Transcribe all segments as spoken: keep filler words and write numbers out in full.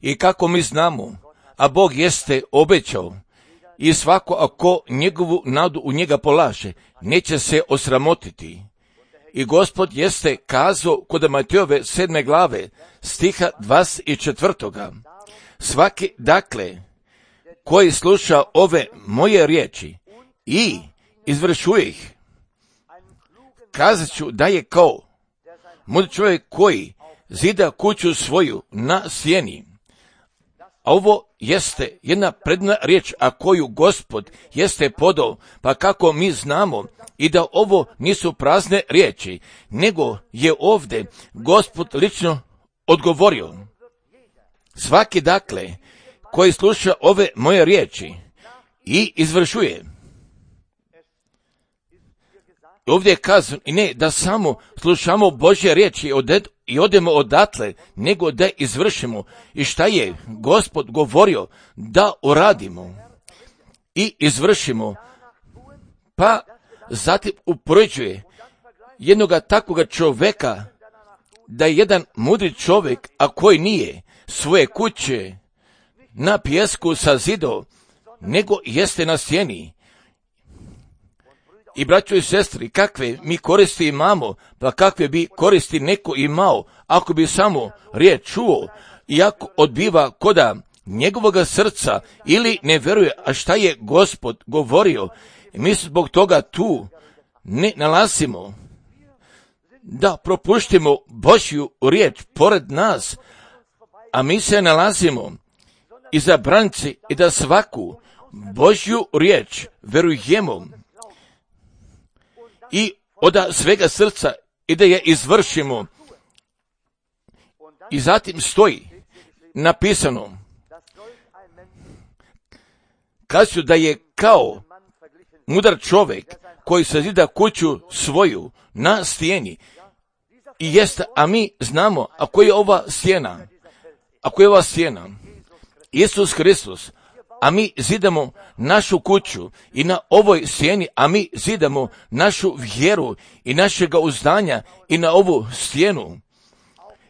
I kako mi znamo, a Bog jeste obećao, i svako ako njegovu nadu u njega polaže, neće se osramotiti. I Gospod jeste kazao kod Matejove sedme glave, stiha dvadeset četvrtoga. Svaki, dakle, koji sluša ove moje riječi i izvršuje ih, kazat ću da je kao mudri čovjek koji zida kuću svoju na sjeni. A ovo jeste jedna predna riječ, a koju Gospod jeste podao, pa kako mi znamo i da ovo nisu prazne riječi, nego je ovdje Gospod lično odgovorio. Svaki dakle, koji sluša ove moje riječi i izvršuje. Ovdje je kazano i ne da samo slušamo Božje riječi i odemo odatle, nego da izvršimo. I šta je Gospod govorio da uradimo i izvršimo, pa zatim upoređuje jednoga takvoga čovjeka da je jedan mudri čovjek, a koji nije svoje kuće na pijesku sazidao, nego jeste na sjeni. I braćo i sestri, kakve mi koristi imamo, pa kakve bi koristi neko imao, ako bi samo riječ čuo, i ako odbiva koda njegovoga srca, ili ne vjeruje, a šta je Gospod govorio, mi se zbog toga tu ne nalazimo, da propuštimo Božju riječ pored nas, a mi se nalazimo iza branice i da svaku Božju riječ verujemo i od svega srca i da je izvršimo. I zatim stoji napisano, kažu da je kao mudar čovjek koji sazida kuću svoju na stijeni. I jest, a mi znamo, ako je ova stijena, ako je ova stijena, Isus Hristos, a mi zidamo našu kuću i na ovoj stijeni, a mi zidamo našu vjeru i našega uzdanja i na ovu stijenu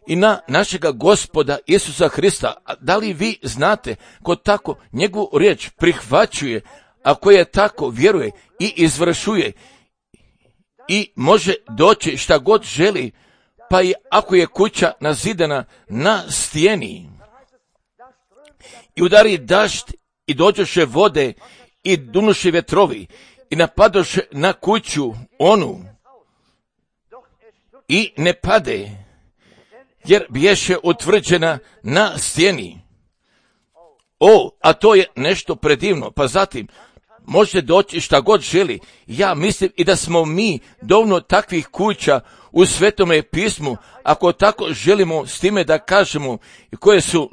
i na našega Gospoda Isusa Hrista. Da li vi znate ko tako njegovu riječ prihvaćuje, ako je tako vjeruje i izvršuje i može doći šta god želi, pa i ako je kuća nazidana na stijeni i udari dašt i dođoše vode i dunuše vjetrovi i napadoše na kuću onu i ne pade, jer biješe utvrđena na stijeni. O, a to je nešto predivno, pa zatim može doći šta god želi. Ja mislim i da smo mi dovoljno takvih kuća u Svetome pismu, ako tako želimo s time da kažemo, koje su,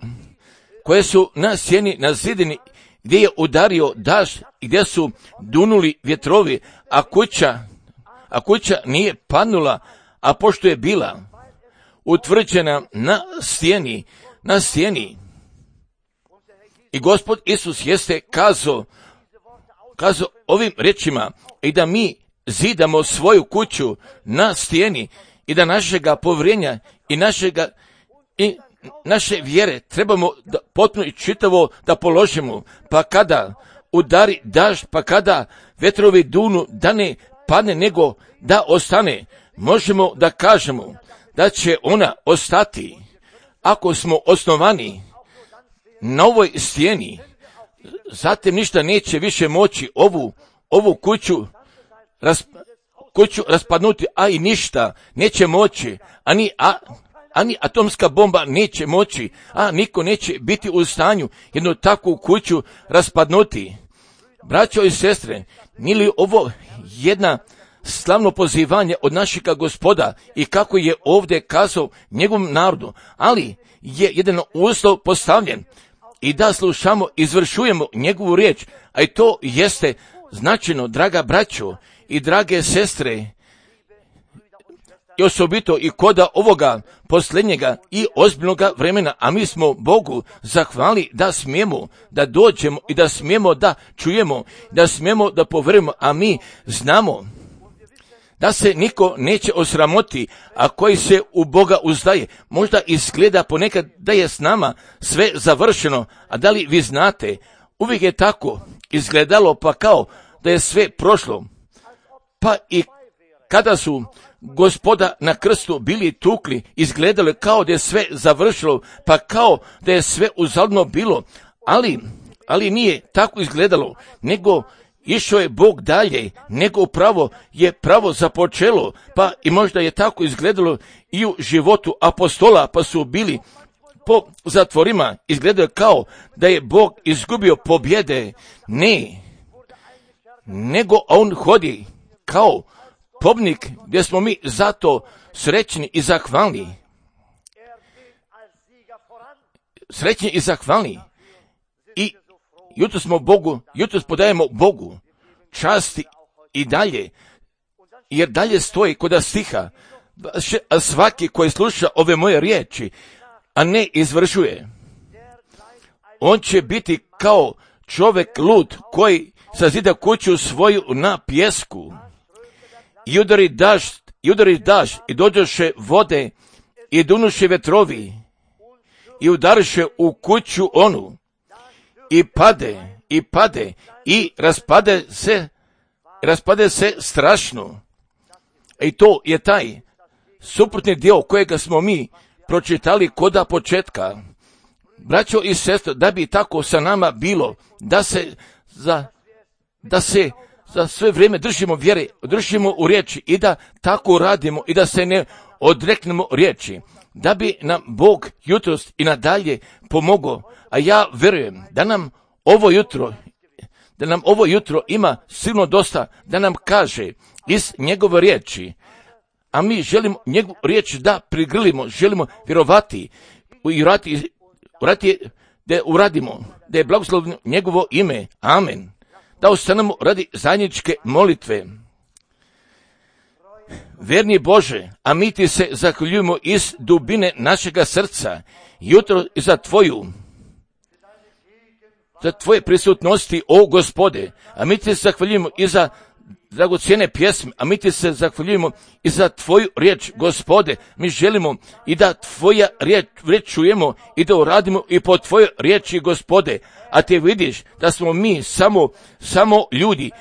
koje su na stijeni, na zidini, gdje je udario dašt, gdje su dunuli vjetrovi, a kuća, a kuća nije padnula, a pošto je bila utvrđena na stijeni, na stijeni. I Gospod Isus jeste kazao, kazao ovim riječima, i da mi zidamo svoju kuću na stijeni i da našega povjerenja i našega i naše vjere trebamo da potpuno i čitavo da položimo, pa kada udari dažd, pa kada vetrovi dunu, da ne padne nego da ostane, možemo da kažemo da će ona ostati ako smo osnovani na ovoj stijeni. Zatim ništa neće više moći ovu, ovu kuću, ras, kuću raspadnuti, a i ništa neće moći, ani, a, ani atomska bomba neće moći, a niko neće biti u stanju jednu takvu kuću raspadnuti. Braćo i sestre, nije li ovo jedna slavno pozivanje od našega Gospoda i kako je ovdje kazao njegovom narodu, ali je jedan uslov postavljen i da slušamo, izvršujemo njegovu riječ, a i to jeste značajno, draga braćo i drage sestre, i osobito i koda ovoga posljednjega i ozbiljnoga vremena, a mi smo Bogu zahvali da smijemo da dođemo i da smijemo da čujemo, da smijemo da povjerujemo, a mi znamo da se niko neće osramoti, a koji se u Boga uzdaje. Možda izgleda ponekad da je s nama sve završeno, a da li vi znate, uvijek je tako izgledalo, pa kao da je sve prošlo. Pa i kada su Gospoda na krstu bili tukli, izgledalo kao da je sve završilo, pa kao da je sve uzaludno bilo, ali, ali nije tako izgledalo, nego išao je Bog dalje, nego pravo je pravo započelo, pa i možda je tako izgledalo i u životu apostola, pa su bili po zatvorima, izgledalo kao da je Bog izgubio pobjede. Ne, nego on hodi kao pobnik, gdje smo mi zato srećni i zahvalni. Srećni i zahvalni. I jutro smo Bogu, jutro podajemo Bogu časti i dalje, jer dalje stoji kod stiha, a svaki koji sluša ove moje riječi, a ne izvršuje, on će biti kao čovjek lud koji sazida kuću svoju na pjesku. I udari dažd, i udari dažd, i dođoše vode, i dunuše vetrovi, i udariše u kuću onu, i pade, i pade, i raspade se, raspade se strašno. I to je taj suprotni dio kojega smo mi pročitali koda početka. Braćo i sestre, da bi tako sa nama bilo, da se za, da se za sve vrijeme držimo vjere, držimo u riječi i da tako radimo i da se ne odreknemo riječi, da bi nam Bog jutros i nadalje pomogao. A ja vjerujem da nam ovo jutro, da nam ovo jutro ima silno dosta da nam kaže iz njegove riječi, a mi želimo njegovu riječ da prigrlimo, želimo vjerovati i urati, urati, da uradimo, da je blagoslovno njegovo ime. Amen. Da ostanemo radi zajedničke molitve. Verni Bože, a mi ti se zahvaljujemo iz dubine našega srca, jutro i za tvoju, za tvoje prisutnosti, o Gospode, a mi ti se zahvaljujemo i za dragocjene pjesme, a mi ti se zahvaljujemo i za tvoju riječ, Gospode. Mi želimo i da tvoja riječ, riječ čujemo i da uradimo i po tvojoj riječi, Gospode. A ti vidiš da smo mi samo, samo ljudi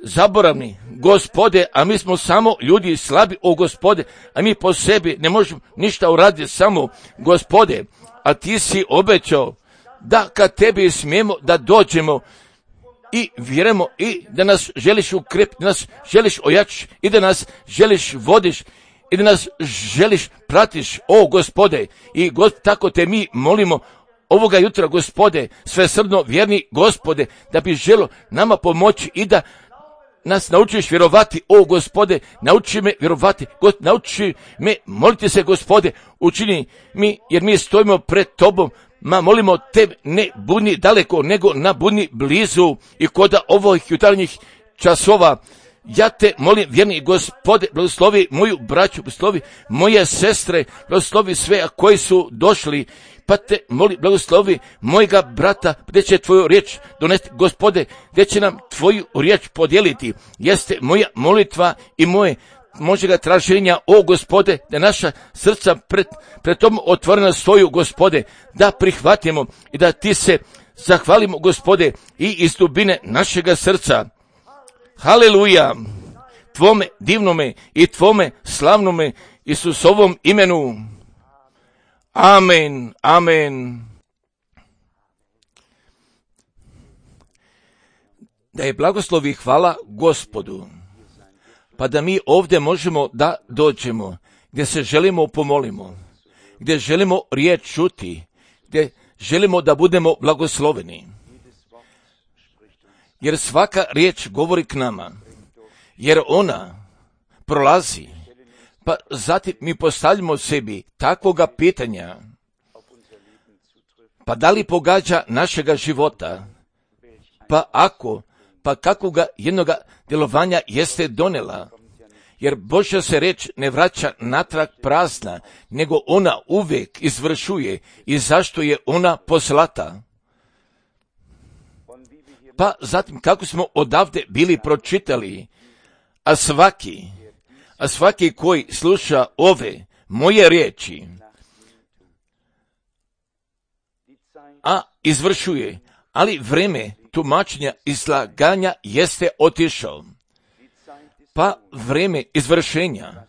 zaboravni, Gospode, a mi smo samo ljudi slabi, o Gospode, a mi po sebi ne možemo ništa uraditi, samo Gospode. A ti si obećao da kad tebi smijemo da dođemo i vjerujemo i da nas želiš ukrepiti, da nas želiš ojačiti i da nas želiš vodiš i da nas želiš pratiš, o Gospode. I God, tako te mi molimo ovoga jutra, Gospode, svesrdno vjerni Gospode, da bi želo nama pomoći i da nas naučiš vjerovati, o Gospode, nauči me vjerovati, God, nauči me moliti se, Gospode, učini mi, jer mi stojimo pred tobom, ma molimo te, ne budni daleko, nego na budni blizu. I koda ovih jutarnjih časova, ja te molim, vjerni Gospode, blagoslovi moju braću, blagoslovi moje sestre, blagoslovi sve koji su došli, pa te molim, blagoslovi mojega brata, gdje će tvoju riječ donesti, Gospode, gdje će nam tvoju riječ podijeliti. Jeste moja molitva i moje možega traženja, o Gospode, da naša srca pred, pred tom otvorena stoju, Gospode, da prihvatimo i da ti se zahvalimo, Gospode, i iz dubine našega srca. Haleluja, tvome divnome i tvome slavnome Isusovom imenu. Amen, amen. Da je blagoslovi hvala Gospodu, pa da mi ovdje možemo da dođemo, gdje se želimo pomolimo, gdje želimo riječ čuti, gdje želimo da budemo blagosloveni. Jer svaka riječ govori k nama, jer ona prolazi, pa zatim mi postavljamo sebi takvoga pitanja, pa da li pogađa našega života, pa ako, pa kakvoga jednoga djelovanja jeste donela, jer Božja se reč ne vraća natrag prazna, nego ona uvijek izvršuje i zašto je ona poslata. Pa zatim kako smo odavde bili pročitali, a svaki, A svaki koji sluša ove moje riječi, a izvršuje, ali vreme tumačenja i slaganja jeste otišao. Pa vreme izvršenja,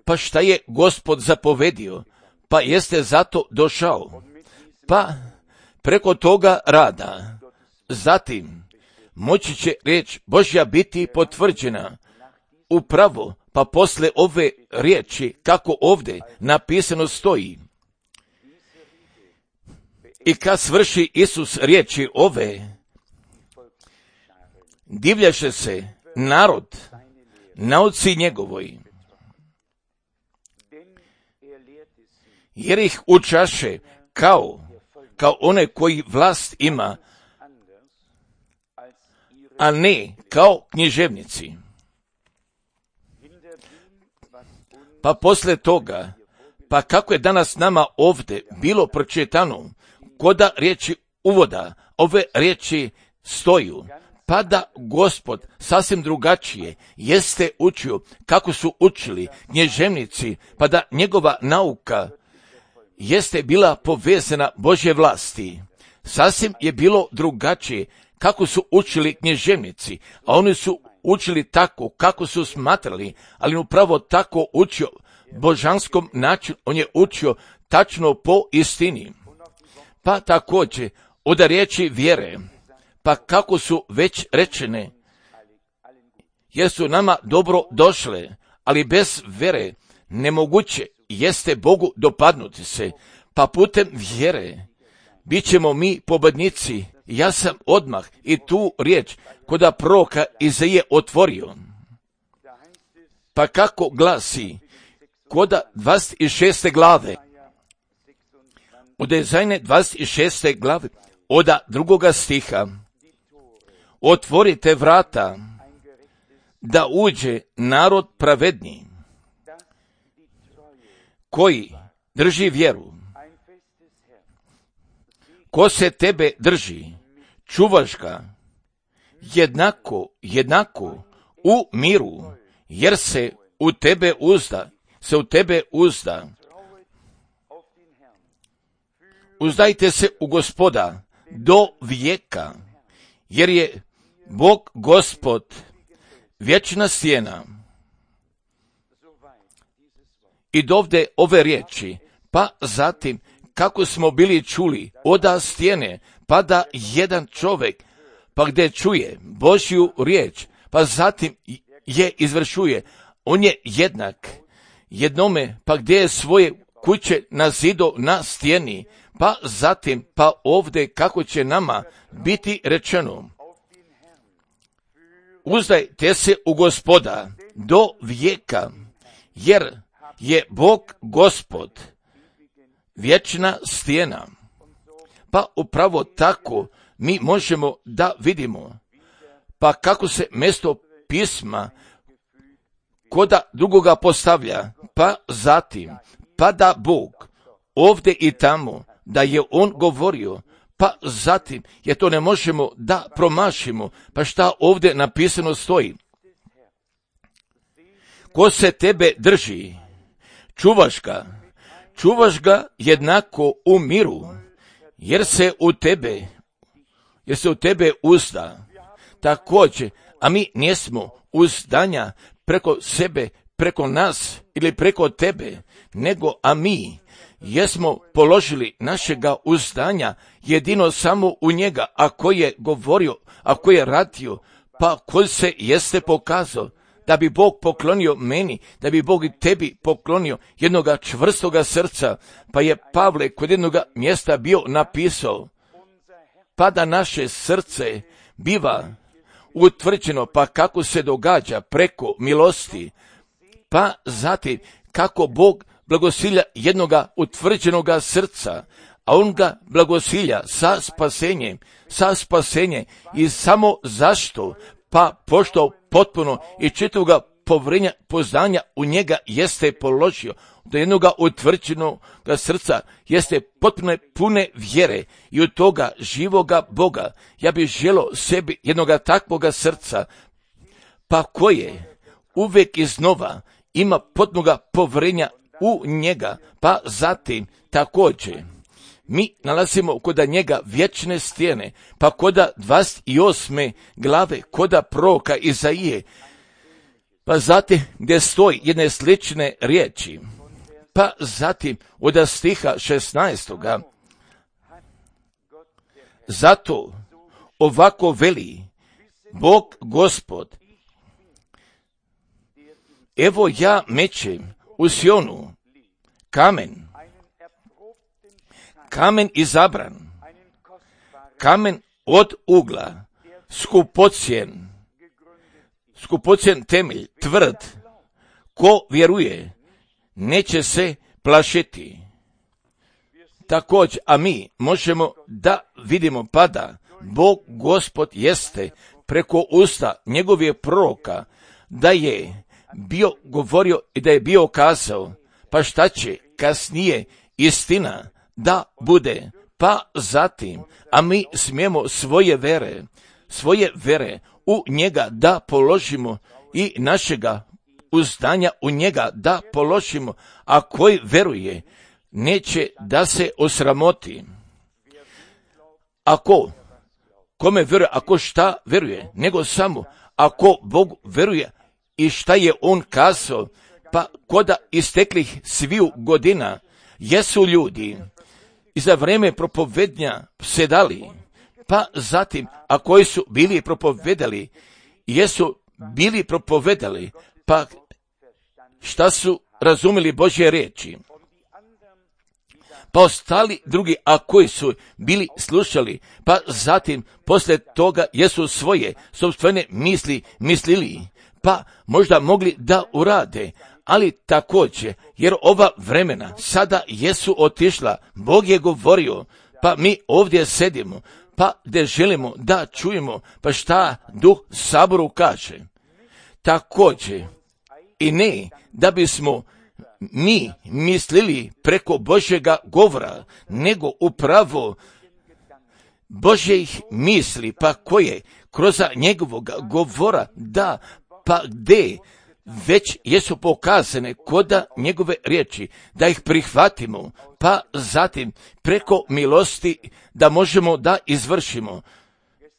pa šta je Gospod zapovedio, pa jeste zato došao. Pa preko toga rada, zatim moći će riječ Božja biti potvrđena upravo, pa posle ove riječi, kako ovdje napisano stoji. I kad svrši Isus riječi ove, divljaše se narod nauci njegovoj, jer ih učaše kao, kao one koji vlast ima, a ne kao književnici. Pa posle toga, pa kako je danas nama ovdje bilo pročitano, koda riječi uvoda, ove riječi stoju, pa da Gospod sasvim drugačije jeste učio kako su učili književnici, pa da njegova nauka jeste bila povezana Božje vlasti. Sasvim je bilo drugačije kako su učili književnici, a oni su učili tako kako su smatrali, ali upravo tako učio božanskom načinu, on je učio tačno po istini. Pa također od riječi vjere, pa kako su već rečene, jer su nama dobro došle, ali bez vjere nemoguće jeste Bogu dopadnuti se, pa putem vjere bit ćemo mi pobednici. Ja sam odmah i tu riječ koda proroka Izaije otvorio. Pa kako glasi, koda dvadeset šeste glave, od Izajine dvadeset šeste glave, od drugoga stiha, otvorite vrata, da uđe narod pravedni, koji drži vjeru. Ko se tebe drži, čuvaš ga, jednako, jednako, u miru, jer se u tebe uzda, se u tebe uzda. Uzdajte se u Gospoda do vijeka, jer je Bog Gospod vječna stijena. I dovde ove riječi, pa zatim kako smo bili čuli oda stijene, pa da jedan čovjek, pa gdje čuje Božju riječ, pa zatim je izvršuje, on je jednak jednome, pa gdje je svoje kuće na zidu na stijeni, pa zatim, pa ovdje kako će nama biti rečeno. Uzdajte se u Gospoda do vijeka, jer je Bog Gospod vječna stijena. Pa upravo tako mi možemo da vidimo, pa kako se mjesto pisma koda drugoga postavlja, pa zatim, pa da Bog ovdje i tamo, da je on govorio, pa zatim, jer to ne možemo da promašimo, pa šta ovdje napisano stoji. Ko se tebe drži, čuvaš ga, čuvaš ga jednako u miru, jer se u tebe, jer se u tebe uzda. Također, a mi nismo uzdanja preko sebe, preko nas ili preko tebe, nego a mi jesmo položili našega uzdanja jedino samo u njega, ako je govorio, ako je radio, pa ko se jeste pokazao, da bi Bog poklonio meni, da bi Bog i tebi poklonio jednoga čvrstoga srca, pa je Pavle kod jednoga mjesta bio napisao, pa da naše srce biva utvrđeno, pa kako se događa preko milosti, pa zatim kako Bog blagosilja jednoga utvrđenoga srca, a on ga blagosilja sa spasenjem, sa spasenjem i samo zašto, pa pošto potpuno i čitavoga povrenja poznanja u njega jeste položio, do jednoga utvrđenoga srca jeste potpuno pune vjere i od toga živoga Boga. Ja bih želio sebi jednoga takvoga srca, pa koje uvijek iznova ima potpunoga povjerenja u njega, pa zatim također mi nalazimo koda njega vječne stijene, pa koda dvadeset osme glave, koda proroka Izaije, pa zatim gdje stoji jedne slične riječi, pa zatim od stiha šesnaestoga. Zato ovako veli Bog Gospod, evo ja mećem u Sionu kamen, kamen izabran, kamen od ugla, skupocjen, skupocjen temelj, tvrd, ko vjeruje, neće se plašiti. Također, a mi možemo da vidimo pada, Bog Gospod jeste preko usta njegovih proroka da je bio govorio i da je bio kazao, pa šta će kasnije istina da bude, pa zatim, a mi smijemo svoje vere, svoje vere u njega da položimo i našega uzdanja u njega da položimo, a koji veruje neće da se osramoti. Ako kome veruje, ako šta veruje, nego samo ako Bog veruje i šta je on kazao, pa koda isteklih sviju godina jesu ljudi i za vrijeme propovednja sedali, pa zatim, a koji su bili propovedali, jesu bili propovedali, pa šta su razumeli Božje riječi. Pa ostali drugi, a koji su bili slušali, pa zatim poslije toga jesu svoje sopstvene misli mislili, pa možda mogli da urade, ali također, jer ova vremena sada jesu otišla, Bog je govorio, pa mi ovdje sedimo, pa gdje želimo da čujemo, pa šta Duh Saboru kaže. Također, i ne da bismo mi mislili preko Božjega govora, nego upravo Božjih misli, pa koje kroz njegovog govora da, pa gdje već jesu pokazane koda njegove riječi, da ih prihvatimo, pa zatim preko milosti da možemo da izvršimo.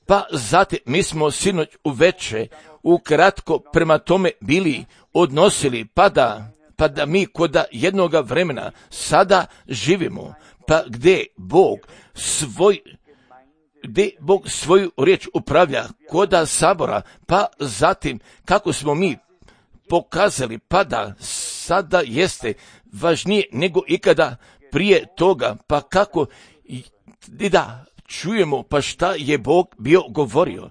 Pa zatim mi smo sinoć uveče ukratko prema tome bili odnosili, pa da, pa da mi koda jednoga vremena sada živimo, pa gdje Bog svoj gdje Bog svoju riječ upravlja koda sabora, pa zatim kako smo mi pokazali, pa da sada jeste važnije nego ikada prije toga, pa kako i da čujemo pa šta je Bog bio govorio.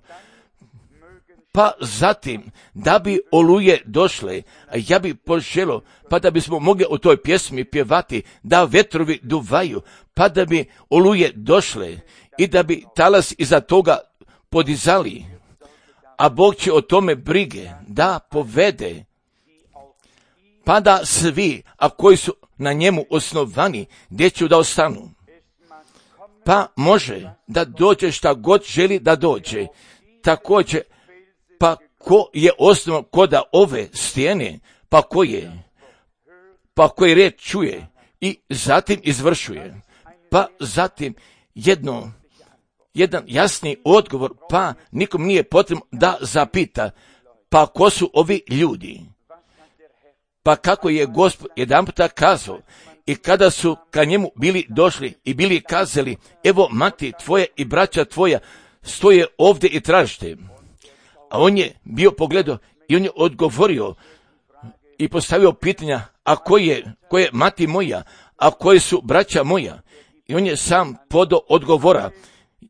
Pa zatim, da bi oluje došle, ja bi poželio, pa da bismo mogli u toj pjesmi pjevati, da vetrovi duvaju, pa da bi oluje došle i da bi talas iza toga podizali. A Bog će o tome brige da povede, pa da svi, a koji su na njemu osnovani, gdje će da ostanu. Pa može da dođe šta god želi da dođe. Također, pa ko je osnovan koda ove stijene, pa ko je, pa koji riječ čuje i zatim izvršuje. Pa zatim jedno, jedan jasni odgovor, pa nikom nije potrebno da zapita, pa ko su ovi ljudi? Pa kako je Gospod jedan puta kazao, i kada su ka njemu bili došli i bili kazali, evo mati tvoja i braća tvoja stoje ovdje i tražite. A on je bio pogledao i on je odgovorio i postavio pitanja, a ko je, ko je mati moja, a koji su braća moja? I on je sam podao odgovora,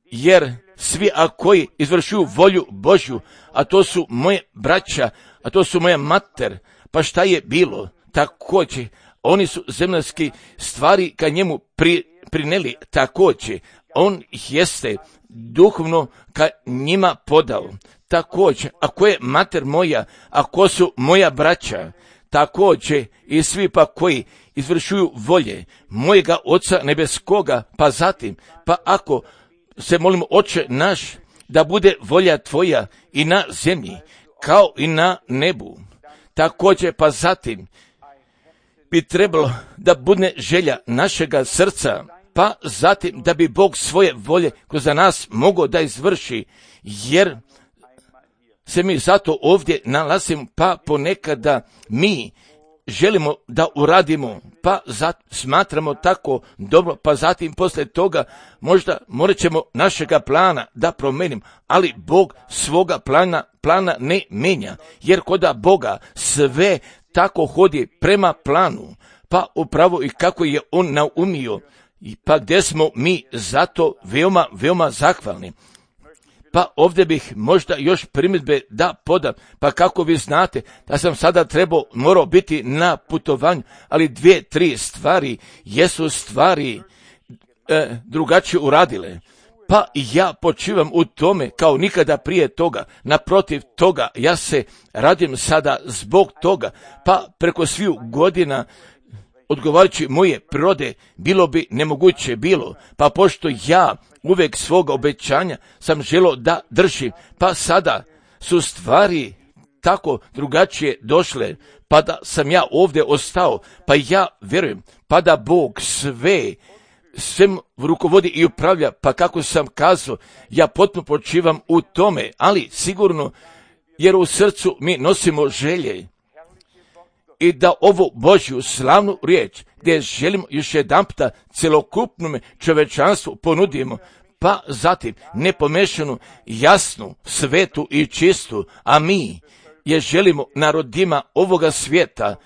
jer svi a koji izvršuju volju Božju, a to su moje braća, a to su moja mater, pa šta je bilo? Također, oni su zemaljski stvari ka njemu pri, prineli, također, on jeste duhovno ka njima podao. Također, ako je mater moja, ako su moja braća, također i svi pa koji izvršuju volje mojega Oca nebeskoga, pa zatim, pa ako se molimo Oče naš, da bude volja tvoja i na zemlji, kao i na nebu. također pa zatim bi trebalo da bude želja našega srca, pa zatim da bi Bog svoje volje kroz nas mogao da izvrši, jer se mi zato ovdje nalazimo, pa ponekada mi želimo da uradimo, pa zat, smatramo tako dobro, pa zatim poslije toga možda morat ćemo našega plana da promijenim, ali Bog svoga plana, plana ne menja, jer koda Boga sve tako hodi prema planu, pa upravo i kako je On naumio, i pa gdje smo mi zato veoma, veoma zahvalni. Pa ovdje bih možda još primjedbe da podam, pa kako vi znate da sam sada trebao, morao biti na putovanju, ali dvije, tri stvari jesu stvari e, drugačije uradile. Pa ja počivam u tome kao nikada prije toga, naprotiv toga ja se radim sada zbog toga, pa preko sviju godina odgovarajući moje prirode bilo bi nemoguće bilo, pa pošto ja uvijek svoga obećanja sam želio da držim, pa sada su stvari tako drugačije došle, pa da sam ja ovdje ostao, pa ja vjerujem, pa da Bog sve, svem rukovodi i upravlja, pa kako sam kazao, ja potpuno počivam u tome, ali sigurno, jer u srcu mi nosimo želje, i da ovu Božju slavnu riječ, gdje želimo još jedanputa celokupnom čovečanstvu ponudimo, pa zatim nepomešanu, jasnu, svetu i čistu, a mi je želimo narodima ovoga svijeta,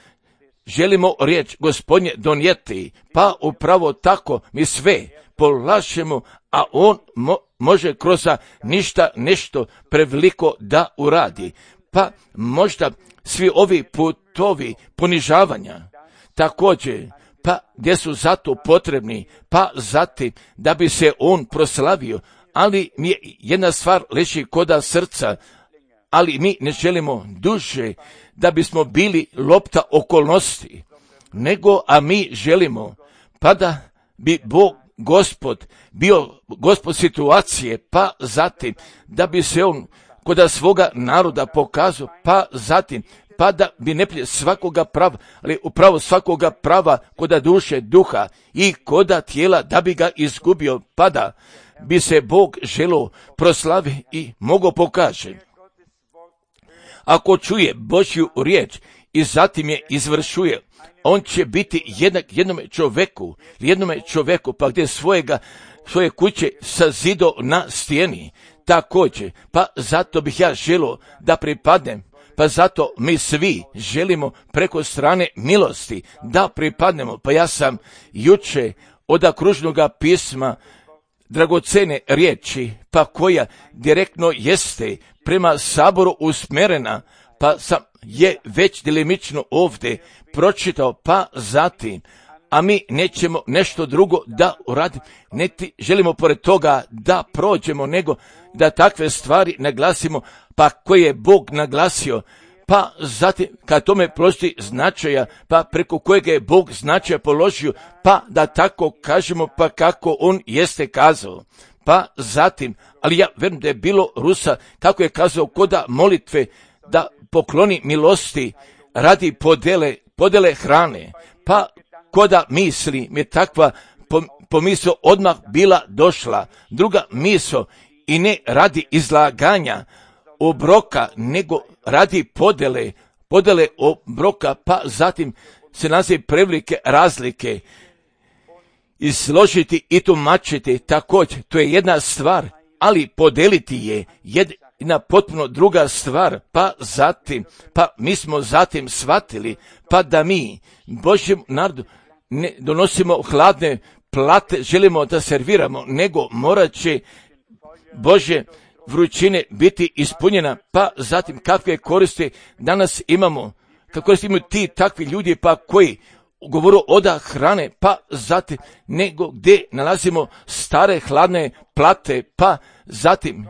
želimo riječ Gospodnje donijeti, pa upravo tako mi sve polažemo, a On mo- može kroz ništa nešto preveliko da uradi. Pa možda svi ovi putovi ponižavanja, također, pa gdje su zato potrebni, pa zatim da bi se On proslavio, ali mi je jedna stvar leži koda srca, ali mi ne želimo duže da bismo bili lopta okolnosti, nego, a mi želimo, pa da bi Bog Gospod bio Gospod situacije, pa zatim da bi se On koda svoga naroda pokazao, pa zatim pa da bi neprijatelj svakoga prava, ali upravo svakoga prava koda duše, duha i koda tijela da bi ga izgubio, pa da bi se Bog želio proslavi i mogao pokaže. Ako čuje Božju riječ i zatim je izvršuje, on će biti jednak jednome čoveku, jednome čoveku, pa gdje svojega, svoje kuće sazido na stijeni. Također, pa zato bih ja želio da pripadnem, pa zato mi svi želimo preko strane milosti da pripadnemo. Pa ja sam juče od kružnoga pisma dragocene riječi, pa koja direktno jeste prema Saboru usmjerena, pa sam je već delimično ovdje pročitao, pa zatim, a mi nećemo nešto drugo da uradimo, niti želimo pored toga da prođemo, nego da takve stvari naglasimo, pa koje je Bog naglasio, pa zatim kad tome položi značaja, pa preko kojeg je Bog značaja položio, pa da tako kažemo, pa kako On jeste kazao. Pa zatim, ali ja vjerujem da je bilo Rusa, kako je kazao koda molitve, da pokloni milosti radi podele, podele hrane, pa koda misli mi je takva pomisao odmah bila došla. Druga misao, i ne radi izlaganja obroka, nego radi podele, podele obroka, pa zatim se naziv prevelike razlike i složiti i tumačiti. Također, to je jedna stvar, ali podeliti je jedna potpuno druga stvar, pa zatim, pa mi smo zatim shvatili, pa da mi Božjem narodu ne donosimo hladne plate, želimo da serviramo, nego morat će Božje vrućine biti ispunjena, pa zatim kakve koristi danas imamo, kako koristi imaju ti takvi ljudi, pa koji govoru oda hrane, pa zatim nego gdje nalazimo stare hladne plate, pa zatim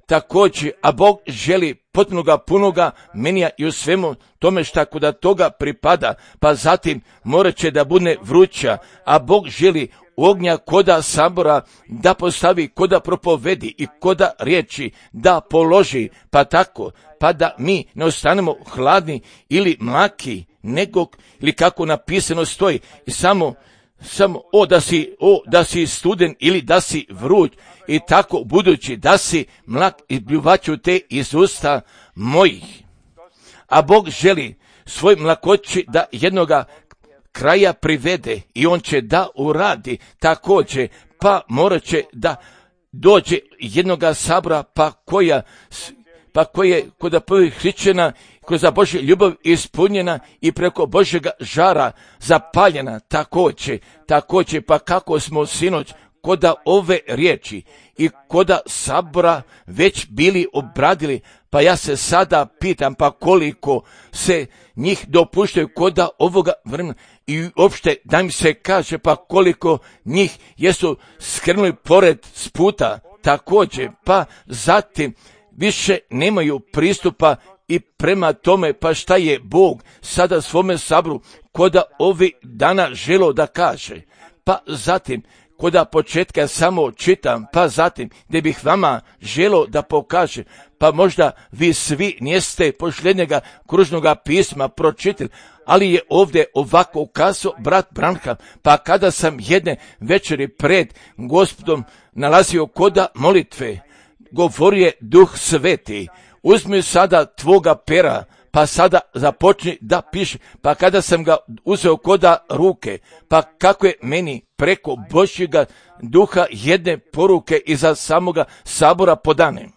također, a Bog želi potpunoga, punoga menija i u svemu tome šta kuda toga pripada, pa zatim morat će da bude vruća, a Bog želi ognja koda sabora da postavi, koda propovedi i koda riječi da položi, pa tako, pa da mi ne ostanemo hladni ili mlaki, nego, ili kako napisano stoji, i samo, samo, o da si, o da si studen ili da si vruć, i tako budući da si mlak i pljuvaću te iz usta mojih. A Bog želi svoj mlakoći da jednoga kraja privede i on će da uradi također, pa morat će da dođe jednoga sabora, pa koja, pa koje kod prvih hrišćana, koja za Božju ljubav ispunjena i preko Božjega žara zapaljena također, također, pa kako smo sinoć koda ove riječi i koda sabora već bili obradili, pa ja se sada pitam, pa koliko se njih dopuštaju koda ovoga vremena i uopšte da mi se kaže, pa koliko njih jesu skrenuli pored s puta također, pa zatim više nemaju pristupa i prema tome, pa šta je Bog sada svome sabru koda ovi dana želo da kaže, pa zatim koda početka samo čitam, pa zatim gdje bih vama želo da pokaže, pa možda vi svi niste posljednjega kružnoga pisma pročitali, ali je ovdje ovako ukazao brat Branham, pa kada sam jedne večeri pred Gospodom nalazio koda molitve, govorio je Duh Sveti, uzmi sada tvoga pera, pa sada započni da piše, pa kada sam ga uzeo koda ruke, pa kako je meni preko Božjega duha jedne poruke iza samoga sabora podane.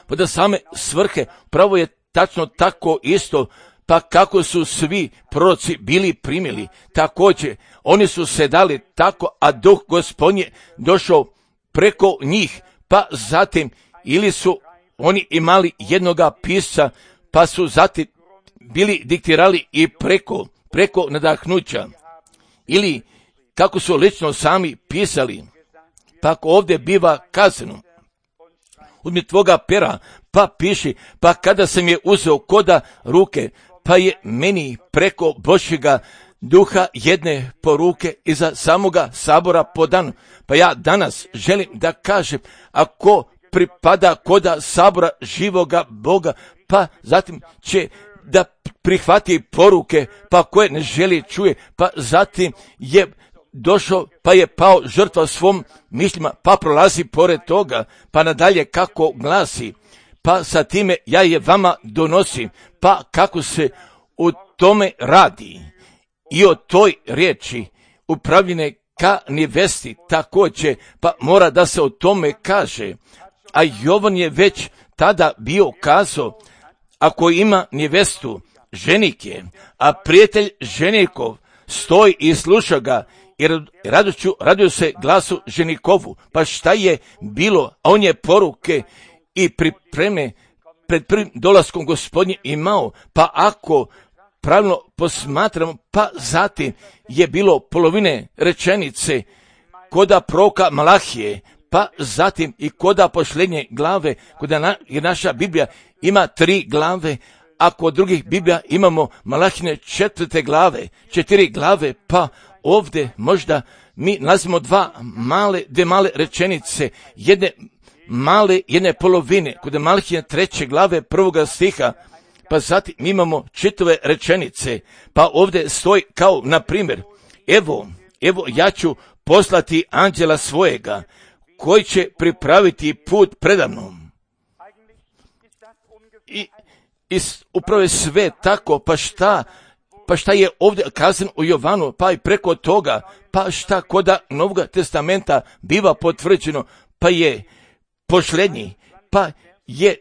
Pa da same svrhe, pravo je tačno tako isto, pa kako su svi proroci bili primili, također oni su se dali tako, a Duh Gospodnji došao preko njih, pa zatim ili su oni imali jednoga pisca, pa su zatim bili diktirali i preko, preko nadahnuća, ili kako su lično sami pisali, pa ako ovdje biva kazano, uzmi tvoga pera, pa piši, pa kada sam je uzeo koda ruke, pa je meni preko Božjega duha jedne poruke iza samoga sabora podano. Pa ja danas želim da kažem, ako pripada koda sabora živoga Boga, pa zatim će da prihvati poruke, pa koje ne želi čuje, pa zatim je došao, pa je pao žrtva svom mišljima, pa prolazi pored toga, pa nadalje kako glasi, pa sa time ja je vama donosim, pa kako se u tome radi i o toj riječi upravljene ka nevesti također, pa mora da se o tome kaže. A Jovan je već tada bio kazao, ako ima nevestu, ženik je, a prijatelj ženikov stoji i sluša ga, jer radošću radio se glasu ženikovu. Pa šta je bilo, a on je poruke i pripreme pred prvim dolaskom Gospodnje imao, pa ako pravilno posmatramo, pa zatim je bilo polovine rečenice koda proroka Malahije, pa zatim i koda posljednje glave, koda na, jer naša Biblija ima tri glave, a kod drugih Biblija imamo Malahine četvrte glave, četiri glave, pa ovdje možda mi nalazimo dva male, dve male rečenice, jedne male, jedne polovine, kod Malahine treće glave prvoga stiha, pa zatim mi imamo čitave rečenice, pa ovdje stoji kao, na primjer, evo, evo ja ću poslati anđela svojega, koji će pripraviti put predamnom. I, i upravo je sve tako, pa šta, pa šta je ovdje kazano u Jovanu, pa i preko toga, pa šta koda Novog testamenta biva potvrđeno, pa je posljednji, pa je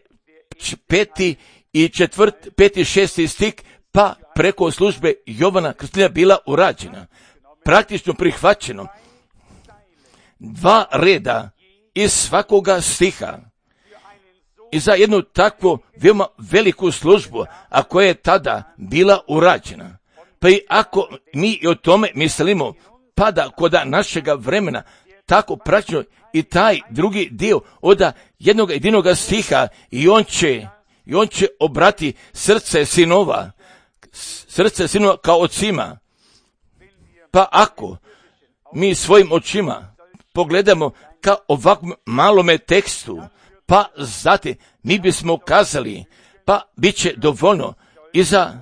peti i četvrt, peti šesti stik, pa preko službe Jovana Krstitelja bila urađena, praktično prihvaćeno. Dva reda iz svakoga stiha i za jednu takvu veoma veliku službu, a koja je tada bila urađena. Pa i ako mi o tome mislimo, pada koda našega vremena tako praktično i taj drugi dio od jednog jedinoga stiha i on će, i on će obrati srce sinova, srce sinova kao ocima. Pa ako mi svojim očima pogledamo ka ovakvom malome tekstu, pa zatim mi bismo kazali, pa bit će dovoljno i za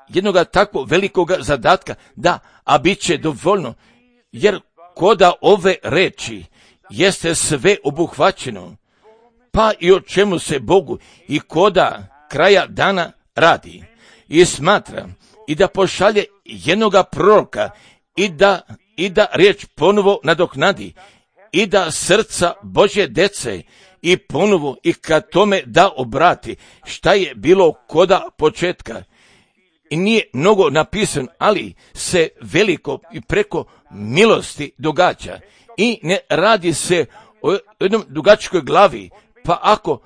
jednoga takvog velikoga zadatka, da, a bit će dovoljno, jer koda ove reči jeste sve obuhvaćeno, pa i o čemu se Bogu i koda kraja dana radi. I smatra i da pošalje jednoga proroka i da, i da riječ ponovo nadoknadi i da srca Božje dece i ponovo i kad tome da obrati šta je bilo koda početka. I nije mnogo napisano, ali se veliko i preko milosti događa. I ne radi se o jednom dugačkoj glavi, pa ako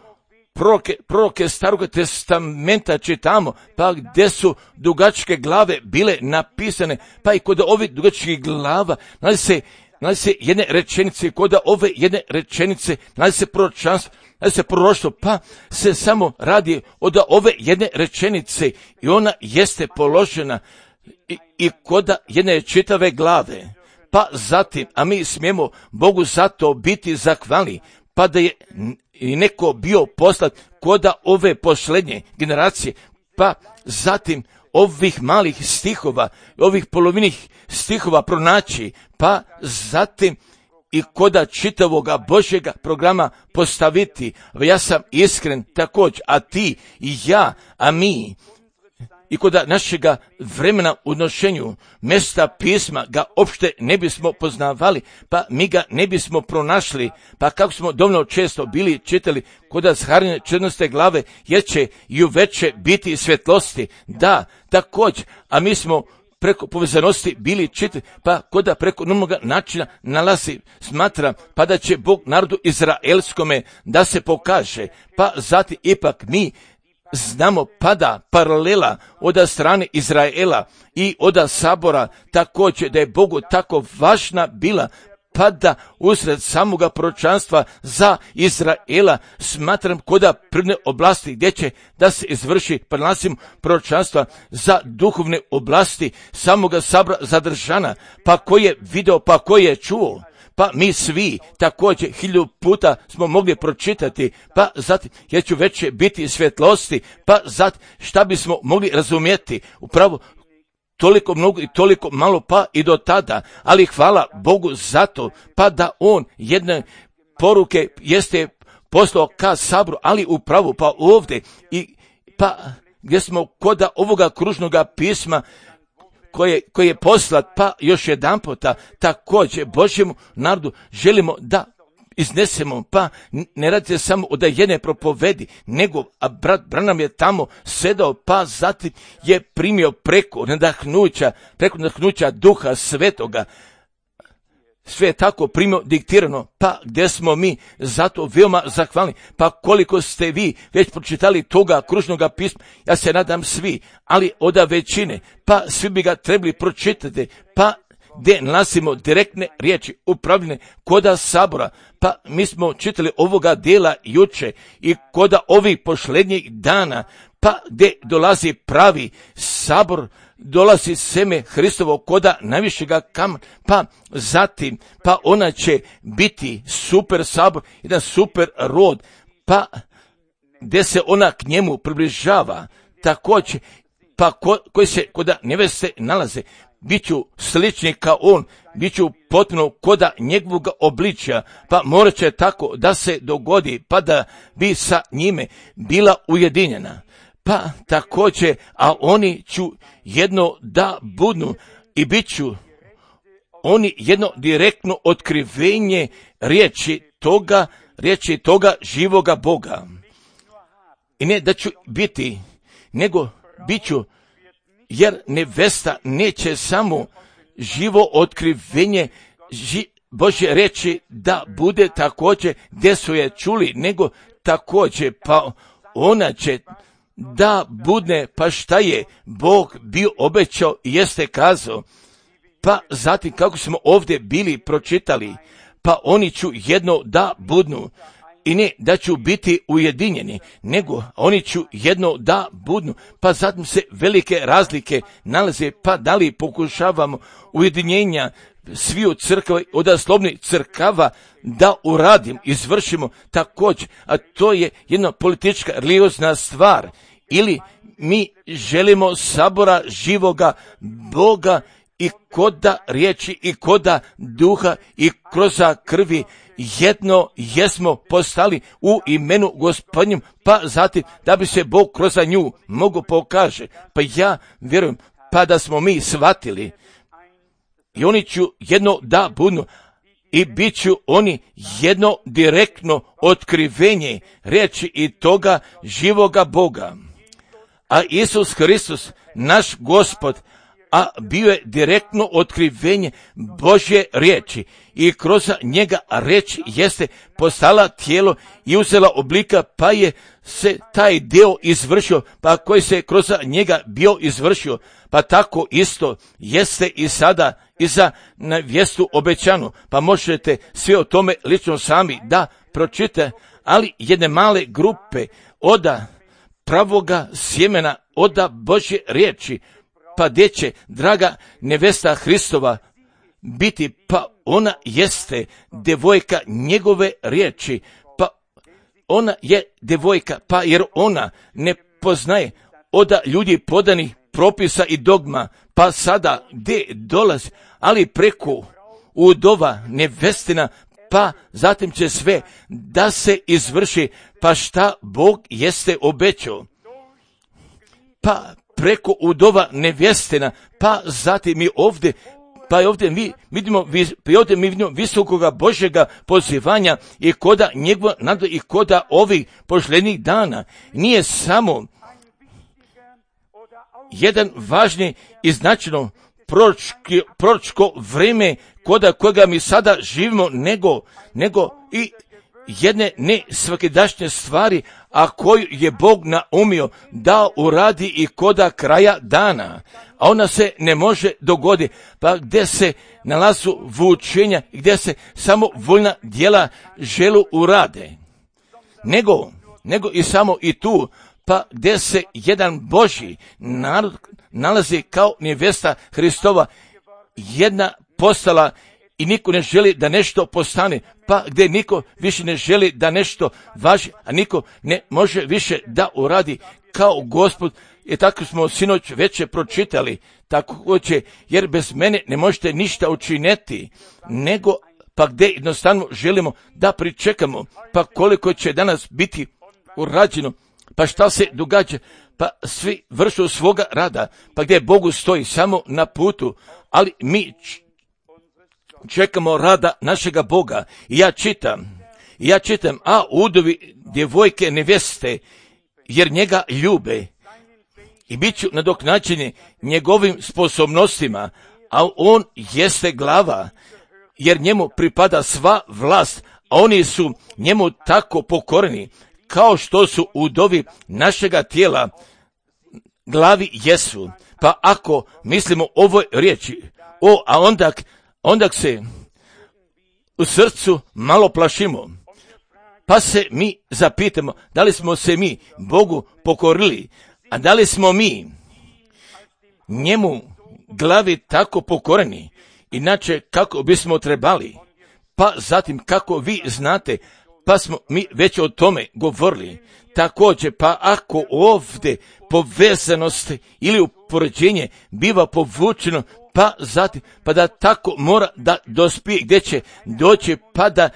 proroke, proroke Starog testamenta čitamo, pa gdje su dugačke glave bile napisane, pa i kod ovih dugačkih glava nalazi se, nalazi se jedne rečenice, kod ove jedne rečenice nalazi se proročanstvo, nalazi se proroštvo, pa se samo radi od ove jedne rečenice i ona jeste položena i, i kod jedne čitave glave. Pa zatim, a mi smijemo Bogu zato biti zahvalni, pa da je i neko bio poslat koda ove posljednje generacije, pa zatim ovih malih stihova, ovih polovinih stihova pronaći, pa zatim i koda čitavoga Božjega programa postaviti. Ja sam iskren također, a ti i ja, a mi, i koda našega vremena u nošenju mjesta pisma ga opšte ne bismo poznavali, pa mi ga ne bismo pronašli, pa kako smo dovoljno često bili čitali koda zharine četnaeste glave, jer će i uveče biti svjetlosti, da, također, a mi smo preko povezanosti bili čitali, pa koda preko normalnog načina nalazi, smatram, pa da će Bog narodu izraelskome da se pokaže, pa zatim ipak mi znamo pada paralela od strane Izraela i od sabora, također da je Bogu tako važna bila pada usred samoga proročanstva za Izraela, smatram koda prvne oblasti gdje će da se izvrši prenosim proročanstva za duhovne oblasti samoga sabora zadržana, pa ko je video, pa ko je čuo. Pa mi svi također hiljadu puta smo mogli pročitati, pa zatim jer ću veće biti svjetlosti, pa zatim šta bismo mogli razumjeti, upravo toliko mnogo i toliko malo pa i do tada, ali hvala Bogu zato, pa da on jedne poruke jeste poslao ka saboru, ali upravo pa ovdje i pa gdje smo koda ovoga kružnoga pisma koje, koje je poslat, pa još jedan puta također Božjemu narodu želimo da iznesemo, pa ne radi se samo od jedne propovedi, nego a brat Branham je tamo sedao, pa zatim je primio preko nadahnuća, preko nadahnuća Duha Svetoga, sve je tako primio diktirano, pa gdje smo mi zato veoma zahvalni, pa koliko ste vi već pročitali toga kružnoga pisma, ja se nadam svi, ali od većine, pa svi bi ga trebali pročitati, pa gdje nalazimo direktne riječi upravljene koda sabora, pa mi smo čitali ovoga dijela juče i koda ovih posljednjih dana, pa gdje dolazi pravi sabor, dolazi seme Hristovo koda najvišega kamena, pa zatim, pa ona će biti super sabor, jedan super rod, pa gdje se ona k njemu približava, također, pa ko, koji se koda neveste nalaze, bit ću slični kao on, bit ću potpuno koda njegovog obličja, pa morat će tako da se dogodi, pa da bi sa njime bila ujedinjena. Pa također, a oni ću jedno da budnu i bit ću oni jedno direktno otkrivenje riječi toga, riječi toga živoga Boga. I ne da ću biti, nego bit ću, jer nevesta neće samo živo otkrivenje ži, Božje riječi da bude također gdje su je čuli, nego također pa ona će da budne, pa šta je Bog bio obećao i jeste kazao, pa zatim kako smo ovdje bili pročitali, pa oni ću jedno da budnu, i ne da ću biti ujedinjeni, nego oni ću jedno da budnu, pa zatim se velike razlike nalaze, pa da li pokušavamo ujedinjenja sviju crkava, od slovnih crkava da uradim, izvršimo također, a to je jedna politička, religiozna stvar. Ili mi želimo sabora živoga Boga i koda riječi i koda duha i kroz krvi jedno jesmo postali u imenu Gospodnjem, pa zatim da bi se Bog kroz nju mogu pokaže. Pa ja vjerujem, pa da smo mi shvatili i oni ću jedno da budu i bit ću oni jedno direktno otkrivenje riječi i toga živoga Boga. A Isus Hristos, naš Gospod, a bio je direktno otkrivenje Božje riječi i kroz njega riječ jeste postala tijelo i uzela oblika, pa je se taj dio izvršio, pa koji se kroz njega bio izvršio, pa tako isto jeste i sada i za nevjestu obećanu, pa možete sve o tome lično sami da pročite, ali jedne male grupe oda pravoga sjemena, oda Božje riječi, pa gdje će draga nevesta Hristova biti, pa ona jeste devojka njegove riječi, pa ona je devojka, pa jer ona ne poznaje oda ljudi podanih propisa i dogma, pa sada gdje dolazi, ali preko udova nevestina, pa zatim će sve da se izvrši, pa šta Bog jeste obećao. Pa preko udova nevjestina, pa zatim mi ovdje, pa ovdje mi vidimo, pa ovdje mi vidimo visokoga Božjega pozivanja i koda njegova nada i koda ovih poželjnih dana. Nije samo jedan važni i značajno proročki, proročko vrijeme koda kojega mi sada živimo, nego, nego i jedne ne svakidašnje stvari, a koju je Bog naumio da uradi i koda kraja dana. A ona se ne može dogoditi, pa gdje se nalazu vučenja i gdje se samo voljna djela želu urade. Nego, nego i samo i tu, pa gdje se jedan Božji narod nalazi kao nevesta Hristova, jedna postala i niko ne želi da nešto postane, pa gdje niko više ne želi da nešto važi, a niko ne može više da uradi kao Gospod. I tako smo sinoć već pročitali, tako će, jer bez mene ne možete ništa učiniti, nego pa gdje jednostavno želimo da pričekamo, pa koliko će danas biti urađeno, pa šta se događa, pa svi vršu svoga rada, pa gdje Bogu stoji samo na putu, ali mi čekamo rada našega Boga. I ja čitam, ja čitam, a udovi djevojke neveste, jer njega ljube i bit ću nadoknađeni njegovim sposobnostima, a on jeste glava, jer njemu pripada sva vlast, a oni su njemu tako pokoreni, kao što su udovi našega tijela glavi jesu. Pa ako mislimo ovoj riječi, o, a onda, onda se u srcu malo plašimo, pa se mi zapitamo, da li smo se mi Bogu pokorili, a da li smo mi njemu glavi tako pokoreni, inače kako bismo trebali, pa zatim kako vi znate, pa smo mi već o tome govorili. Također, pa ako ovdje povezanost ili upoređenje biva povučeno, pa zatim, pa da tako mora da dospije, gdje će doći, pa da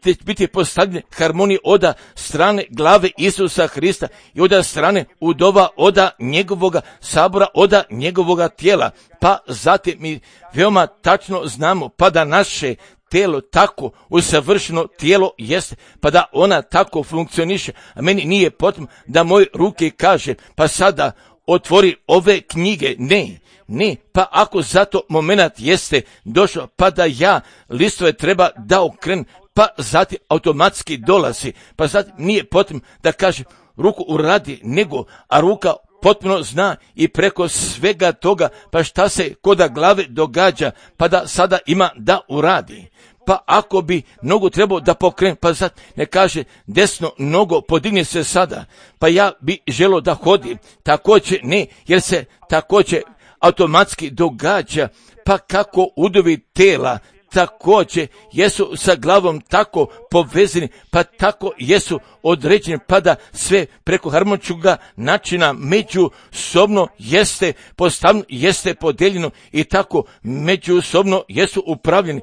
će biti postavljene harmonije oda strane glave Isusa Hrista i oda strane udova oda njegovoga sabora, oda njegovoga tijela. Pa zatim mi veoma tačno znamo, pa da naše tijelo tako usavršeno tijelo jeste, pa da ona tako funkcioniše, a meni nije potrebno da moje ruke kaže, pa sada otvori ove knjige, ne, ne, pa ako zato moment jeste došao, pa da ja listove treba da okrenem, pa zatim automatski dolazi, pa zatim nije potrebno da kaže ruku uradi, nego, a ruka potpuno zna i preko svega toga, pa šta se koda glave događa, pa da sada ima da uradi. Pa ako bi nogu trebao da pokrene, pa sad ne kaže desno nogo podigne se sada, pa ja bi želo da hodi, također ne, jer se također automatski događa, pa kako udovi tela također jesu sa glavom tako povezani, pa tako jesu određeni, pa da sve preko harmoničnoga načina međusobno jeste postavljeno, jeste podeljeno i tako međusobno jesu upravljeni.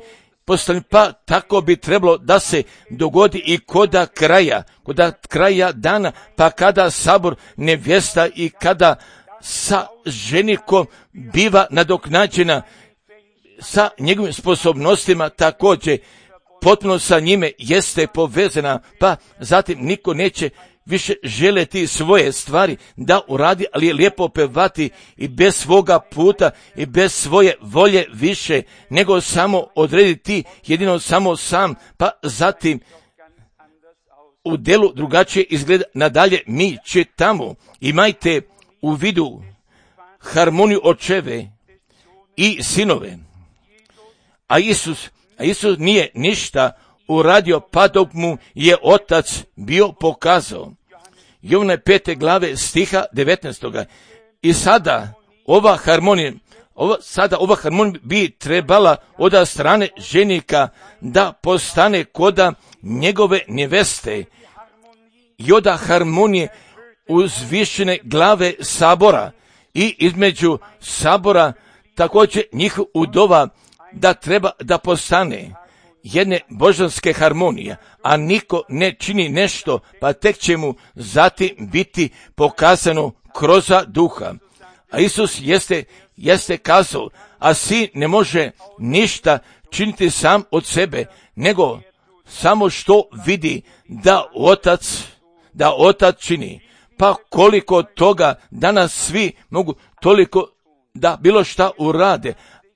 Pa tako bi trebalo da se dogodi i koda kraja, koda kraja dana, pa kada sabor nevjesta i kada sa ženikom biva nadoknađena sa njegovim sposobnostima također, potpuno sa njime jeste povezana, pa zatim niko neće više želeti svoje stvari da uradi, ali je lijepo pevati i bez svoga puta i bez svoje volje više, nego samo odrediti jedino samo sam, pa zatim u delu drugačije izgleda. Nadalje mi čitamo, imajte u vidu harmoniju očeve i sinove. A Isus, a Isus nije ništa uradio pa dok mu je otac bio pokazao. Jovana pete glave stiha devetnaestog. I sada ova harmonija, ova, sada ova harmonija bi trebala od strane ženika da postane koda njegove neveste i od harmonije uzvišene glave sabora i između sabora također njih udova da treba da postane jedne božanske harmonije, a niko ne čini nešto, pa tek će mu zatim biti pokazano kroz duha. A Isus jeste, jeste kazao, a sin ne može ništa činiti sam od sebe, nego samo što vidi da otac, da otac čini. Pa koliko toga danas svi mogu toliko da bilo šta urade,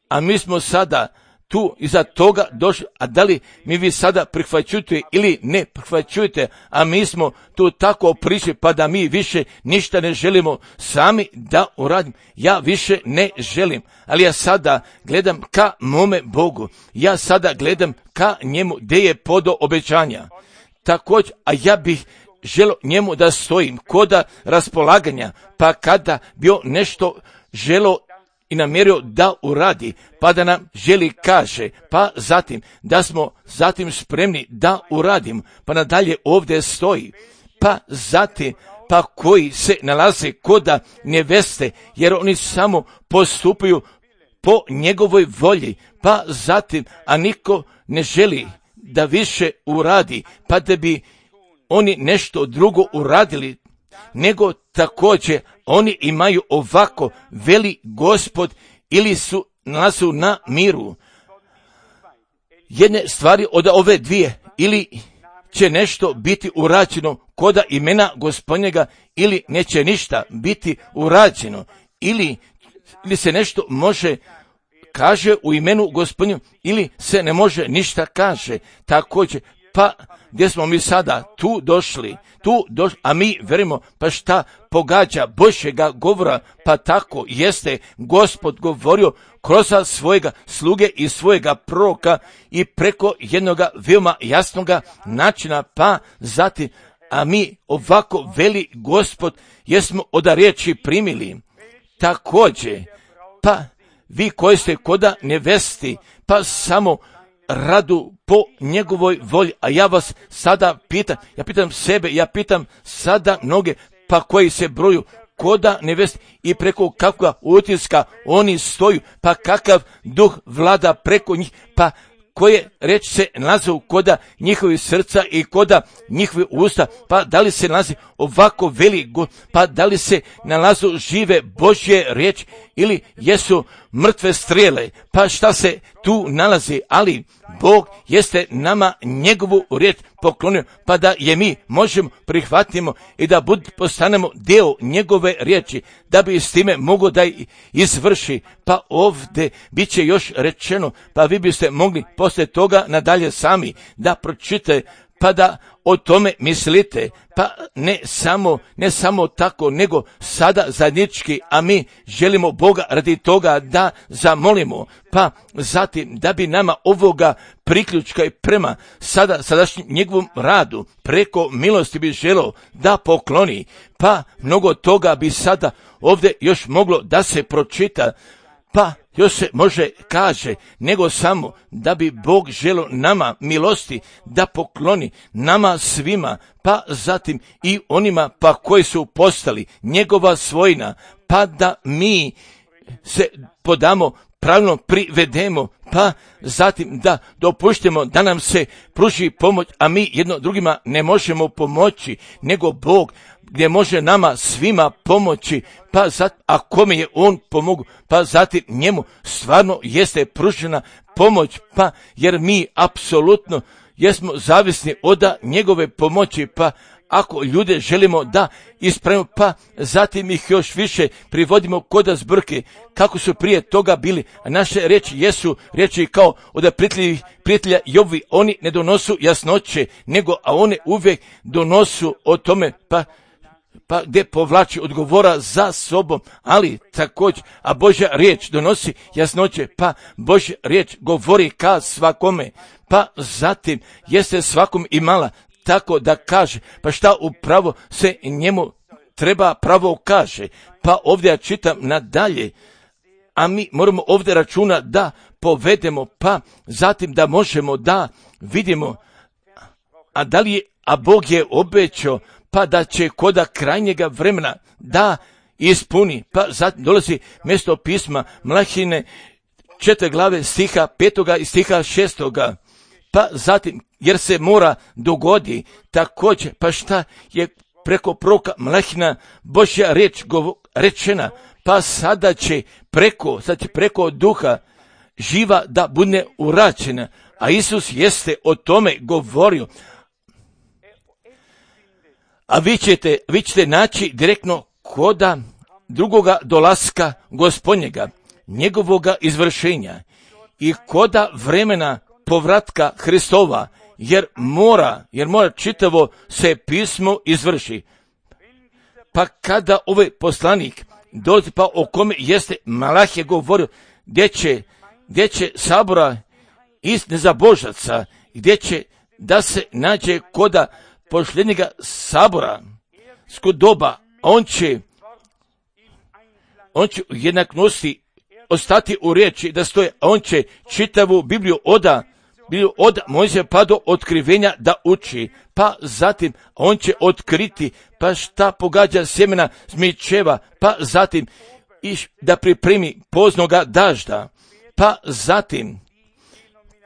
a mi smo sada tu iza toga došli, a da li mi vi sada prihvaćujete ili ne prihvaćujete, a mi smo tu tako prišli pa da mi više ništa ne želimo sami da uradimo. Ja više ne želim, ali ja sada gledam ka mome Bogu, ja sada gledam ka njemu gdje je podo obećanja. Također, a ja bih želio njemu da stojim koda raspolaganja, pa kada bio nešto želo i namjerio da uradi, pa da nam želi kaže, pa zatim da smo zatim spremni da uradimo, pa nadalje ovdje stoji, pa zatim pa koji se nalaze koda neveste, jer oni samo postupaju po njegovoj volji, pa zatim, a niko ne želi da više uradi, pa da bi oni nešto drugo uradili, nego također oni imaju ovako, veli Gospod, ili su nalazu na miru. Jedne stvari od ove dvije, ili će nešto biti urađeno koda imena Gospodnjega, ili neće ništa biti urađeno, ili, ili se nešto može kaže u imenu Gospodnjega, ili se ne može ništa kaže. Također, pa gdje smo mi sada tu došli, tu došli, a mi verimo, pa šta pogađa Božjega govora, pa tako jeste Gospod govorio kroz svojega sluge i svojega proroka i preko jednoga veoma jasnoga načina, pa zatim, a mi ovako veli Gospod, jesmo od riječi primili. Također, pa vi koji ste koda nevesti, pa samo radu po njegovoj volji, a ja vas sada pitam, ja pitam sebe, ja pitam sada mnoge, pa koji se broju koda nevesti i preko kakva utiska oni stoju, pa kakav duh vlada preko njih, pa koje reći se nalaze koda njihovi srca i koda njihovi usta, pa da li se nalazi ovako veli, pa da li se nalazu žive Božje riječi ili jesu mrtve strijele, pa šta se tu nalazi, ali Bog jeste nama njegovu riječ poklonio, pa da je mi možemo prihvatimo i da bud, postanemo dio njegove riječi, da bi s time mogo da izvrši. Pa ovdje bit će još rečeno, pa vi biste mogli poslije toga nadalje sami da pročitate, pa pa da o tome mislite, pa ne samo, ne samo tako, nego sada zajednički, a mi želimo Boga radi toga da zamolimo, pa zatim da bi nama ovoga priključka i prema sada sadašnjem njegovom radu preko milosti bi želeo da pokloni, pa mnogo toga bi sada ovdje još moglo da se pročita, pa još se može kaže, nego samo da bi Bog želio nama milosti da pokloni nama svima, pa zatim i onima pa koji su postali njegova svojina, pa da mi se podamo, pravilno privedemo, pa zatim da dopuštemo da nam se pruži pomoć, a mi jedno drugima ne možemo pomoći, nego Bog gdje može nama svima pomoći, pa zatim, a kome je on pomogu, pa zatim njemu stvarno jeste pružena pomoć, pa jer mi apsolutno jesmo zavisni od njegove pomoći, pa ako ljude želimo da ispravimo, pa zatim ih još više privodimo kod zbrke, kako su prije toga bili, a naše riječi jesu riječi kao od prijateljih prijatelja Jobovi, oni ne donosu jasnoće, nego a one uvijek donosu o tome, pa pa gdje povlači odgovora za sobom, ali također, a Božja riječ donosi jasnoće, pa Božja riječ govori ka svakome, pa zatim jeste svakom imala tako da kaže, pa šta upravo se njemu treba pravo kaže, pa ovdje ja čitam nadalje, a mi moramo ovdje računa da povedemo, pa zatim da možemo da vidimo, a da li je, a Bog je obećao, pa da će koda krajnjega vremena da ispuni, pa zatim dolazi mjesto pisma Mlahine četiri glave stiha petoga i stiha šestoga, pa zatim jer se mora dogodi također, pa šta je preko proroka Mlahina Božja riječ rečena, pa sada će preko, sad će preko duha živa da bude uračena, a Isus jeste o tome govorio. A vi ćete, vi ćete naći direktno koda drugoga dolaska Gospodnjega, njegovoga izvršenja i koda vremena povratka Hristova, jer mora, jer mora čitavo se pismo izvrši. Pa kada ovaj poslanik dolazi, pa o kome jeste Malahije govorio, gdje će, gdje će sabora iz nezabožaca, gdje će da se nađe koda posljednjega sabora skod doba, on će on će u jednaknosti ostati u riječi da stoje, a on će čitavu Bibliju oda Bibliju od Mojsija pa do otkrivenja da uči, pa zatim on će otkriti pa šta pogađa sjemena zmičeva, pa zatim iš da pripremi poznoga dažda, pa zatim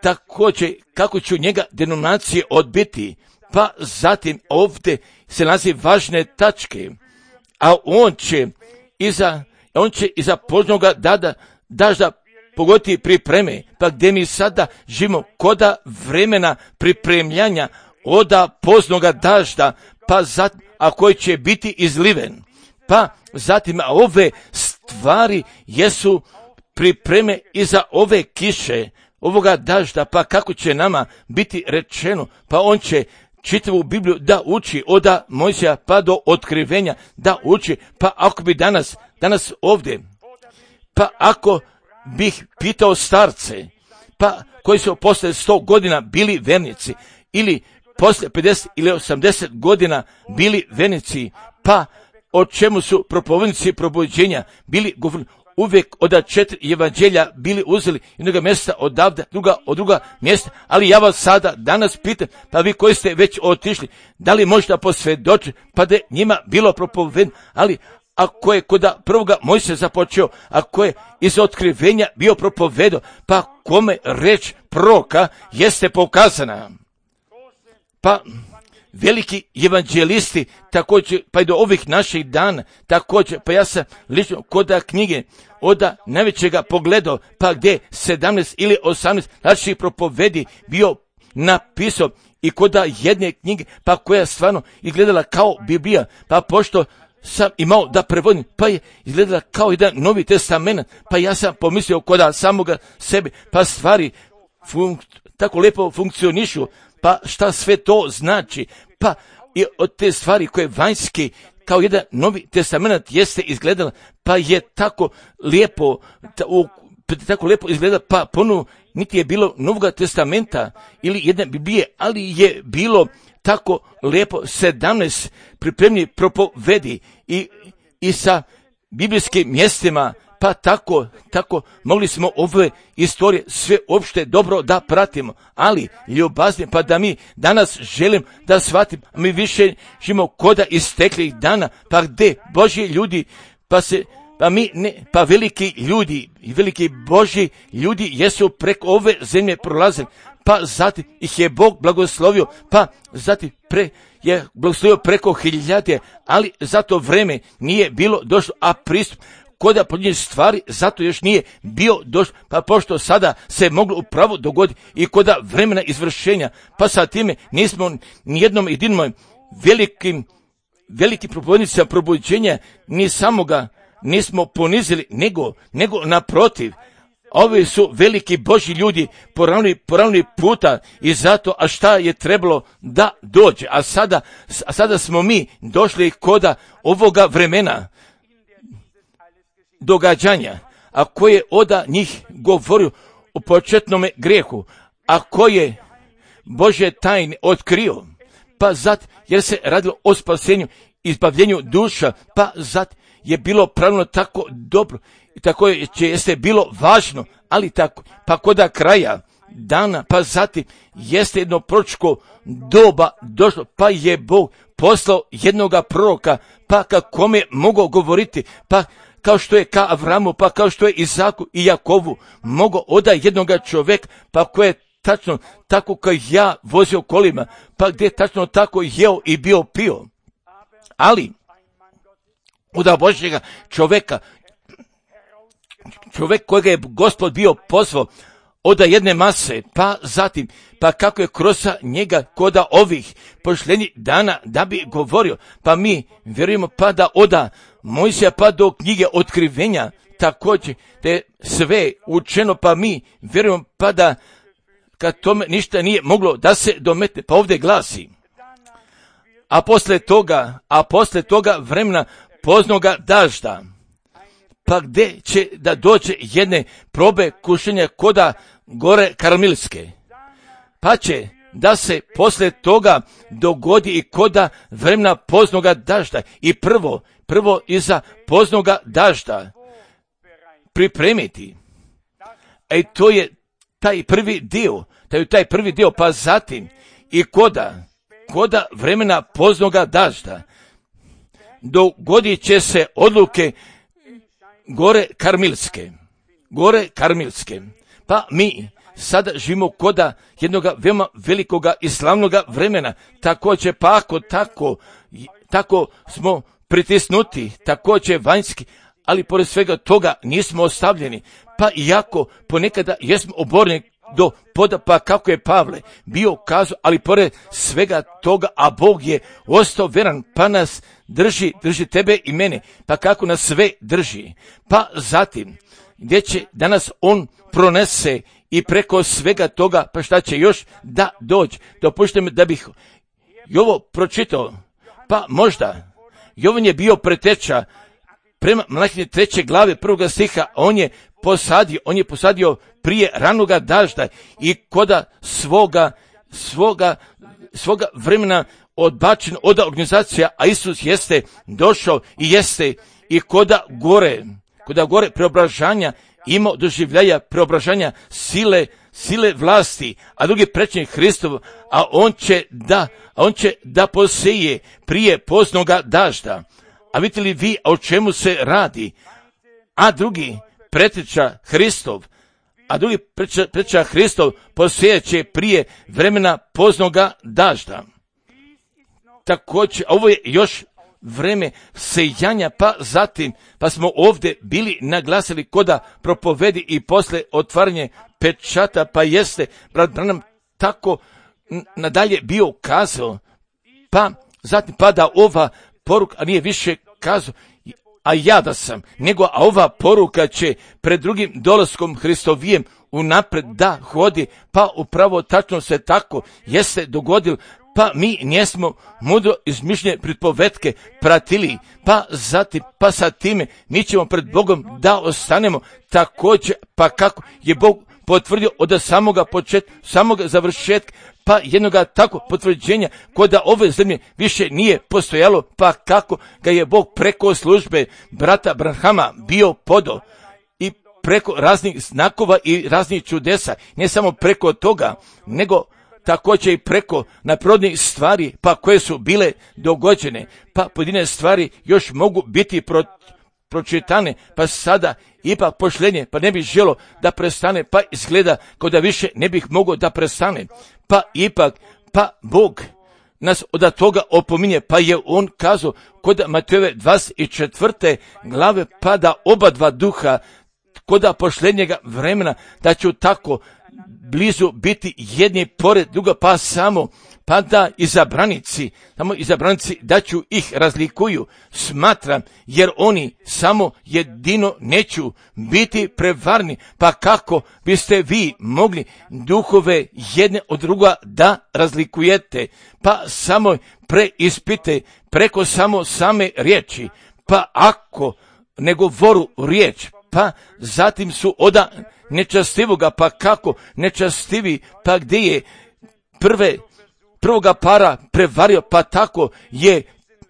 također kako će njega denominacije odbiti, pa zatim ovdje se nalazi važne tačke, a on će iza, on će iza poznoga dada, dažda pogoditi pripreme, pa gdje mi sada živimo koda vremena pripremljanja oda poznoga dažda, pa zatim, a koji će biti izliven, pa zatim a ove stvari jesu pripreme iza ove kiše, ovoga dažda, pa kako će nama biti rečeno, pa on će čitavu Bibliju da uči od Mojsija pa do otkrivenja da uči, pa ako bi danas, danas ovdje, pa ako bih pitao starce, pa koji su poslije sto godina bili vernici, ili poslije pedeset ili osamdeset godina bili vernici, pa o čemu su propovednici probuđenja bili govorili, uvijek od četiri evanđelja bili uzeli jednoga mjesta odavde, druga od druga mjesta, ali ja vas sada danas pitam, pa vi koji ste već otišli, da li možete posvjedočiti, pa da je njima bilo propovedno, ali ako je kod prvoga Mojsija započeo, ako je iz otkrivenja bio propovedo, pa kome reč proroka jeste pokazana. Pa veliki evanđelisti također, pa i do ovih naših dana, također, pa ja sam lično kod knjige od najvećega pogledao, pa gdje sedamnaest ili osamnaest različitih propovedi bio napisao i kod jedne knjige, pa koja stvarno izgledala kao Biblija, pa pošto sam imao da prevodim, pa je izgledala kao jedan Novi Testament, pa ja sam pomislio kod samoga sebe, pa stvari funk, tako lijepo funkcionišu, pa šta sve to znači, pa i od te stvari koje vanjski kao jedan novi testament jeste izgledala, pa je tako lijepo, ta, u, tako lijepo izgleda, pa ponovo niti je bilo Novog testamenta ili jedne Biblije, ali je bilo tako lijepo sedamnaest pripremni propovedi i, i sa biblijskim mjestima, pa tako, tako mogli smo ove istorije sve opšte dobro da pratimo, ali ljubazni, pa da mi danas želim da shvatim, mi više živimo koda isteklih dana, pa gde Božji ljudi, pa se, pa mi ne, pa veliki ljudi i veliki Božji ljudi jesu preko ove zemlje prolazili, pa zatim ih je Bog blagoslovio, pa zatim pre, je blagoslovio preko hiljade, ali za to vreme nije bilo došlo, a pristup koda podnije stvari, zato još nije bio došlo, pa pošto sada se moglo upravo dogoditi i koda vremena izvršenja, pa sa time nismo nijednom jedinom velikim, velikim propovednicima probuđenja, ni samoga nismo ponizili, nego, nego naprotiv, ovi su veliki Božji ljudi poravnili, poravnili puta i zato, a šta je trebalo da dođe, a sada, a sada smo mi došli koda ovoga vremena, događanja, a koje oda njih govorio o početnome grijehu, a koje Božje tajne otkrio, pa zat, jer se radilo o spasenju, izbavljenju duša, pa zat je bilo pravilno tako dobro i tako je, jeste bilo važno, ali tako, pa koda kraja dana, pa zatim jeste jedno proročko doba došlo, pa je Bog poslao jednoga proroka, pa kakome mogao govoriti, pa kao što je ka Avramu, pa kao što je Izaku i Jakovu, mogo oda jednoga čovjeka, pa koje je tačno tako kao ja vozio kolima, pa gdje je tačno tako jeo i bio pio. Ali, oda Božjega čovjeka, čovjek kojega je Gospod bio pozvao, oda jedne mase, pa zatim, pa kako je kroz njega koda ovih pošljenih dana da bi govorio, pa mi vjerujemo pa da oda Mojsija pa do knjige otkrivenja također te sve učeno, pa mi vjerujemo pa da kad tome ništa nije moglo da se dometne, pa ovdje glasi, a posle toga, a posle toga vremena poznoga dažda, pa gdje će da dođe jedne probe kušenja koda gore Karmelske, pa će da se posle toga dogodi i koda vremena poznoga dažda i prvo, prvo iza poznoga dažda pripremiti. E to je taj prvi dio, taj, taj prvi dio, pa zatim i koda, koda vremena poznoga dažda dogodit će se odluke gore Karmelske, gore Karmelske, pa mi sada živimo koda jednog veoma velikoga i slavnoga vremena, također pa ako tako, tako smo pritisnuti, također vanjski, ali pored svega toga nismo ostavljeni, pa iako ponekada jesmo oborni do poda, pa kako je Pavle bio kazao, ali pored svega toga, a Bog je ostao veran, pa nas drži, drži tebe i mene, pa kako nas sve drži, pa zatim, gdje će danas on pronese i preko svega toga, pa šta će još da dođe, dopušte mi da bih i ovo pročitao, pa možda, Jovan je bio preteča prema Malahije treće glave prvoga stiha, on je posadio, on je posadio prije ranoga dažda i koda svoga, svoga, svoga vremena odbačen od organizacija, a Isus jeste došao i jeste i koda gore, koda gore preobražanja imao doživljaja preobražanja sile, sile vlasti, a drugi prečnik Hristov, a on će da, a on će da poseje prije poznoga dažda. A vidite li vi o čemu se radi? A drugi preteča Hristov, a drugi preteča, preteča Hristov posejeće prije vremena poznoga dažda. Također, ovo je još vreme sejanja, pa zatim, pa smo ovdje bili naglasili koda propovedi i posle otvaranje pečata, pa jeste, brat Branham tako nadalje bio kazao, pa zatim pada ova poruka, a nije više kazao, a ja da sam, nego a ova poruka će pred drugim dolaskom Hristovijem unapred da hodi, pa upravo tačno se tako jeste dogodilo, pa mi njesmo mudro izmišljene pripovetke pratili, pa zatim, pa sa time mi ćemo pred Bogom da ostanemo također, pa kako je Bog potvrdio od samoga početka, samoga završetka, pa jednoga tako potvrđenja kod da ove zemlje više nije postojalo, pa kako ga je Bog preko službe brata Branhama bio podo i preko raznih znakova i raznih čudesa, ne samo preko toga, nego također i preko naprodnih stvari, pa koje su bile dogođene, pa pojedine stvari još mogu biti pro, pročitane, pa sada ipak pošlenje, pa ne bih želo da prestane, pa izgleda kao da više ne bih mogao da prestane, pa ipak, pa Bog nas od toga opominje, pa je on kazao kod Matejove dvadeset četvrte glave, pa da oba dva duha kod pošlenjega vremena, da ću tako blizu biti jedni pored druga, pa samo, pa da izabranici, samo izabranici da ću ih razlikuju, smatram, jer oni samo jedino neću biti prevarni, pa kako biste vi mogli duhove jedne od druga da razlikujete, pa samo preispite preko samo same riječi, pa ako ne govoru riječ, pa zatim su oda nečastivoga, pa kako nečastivi, pa gdje je prve, prvoga para prevario, pa tako je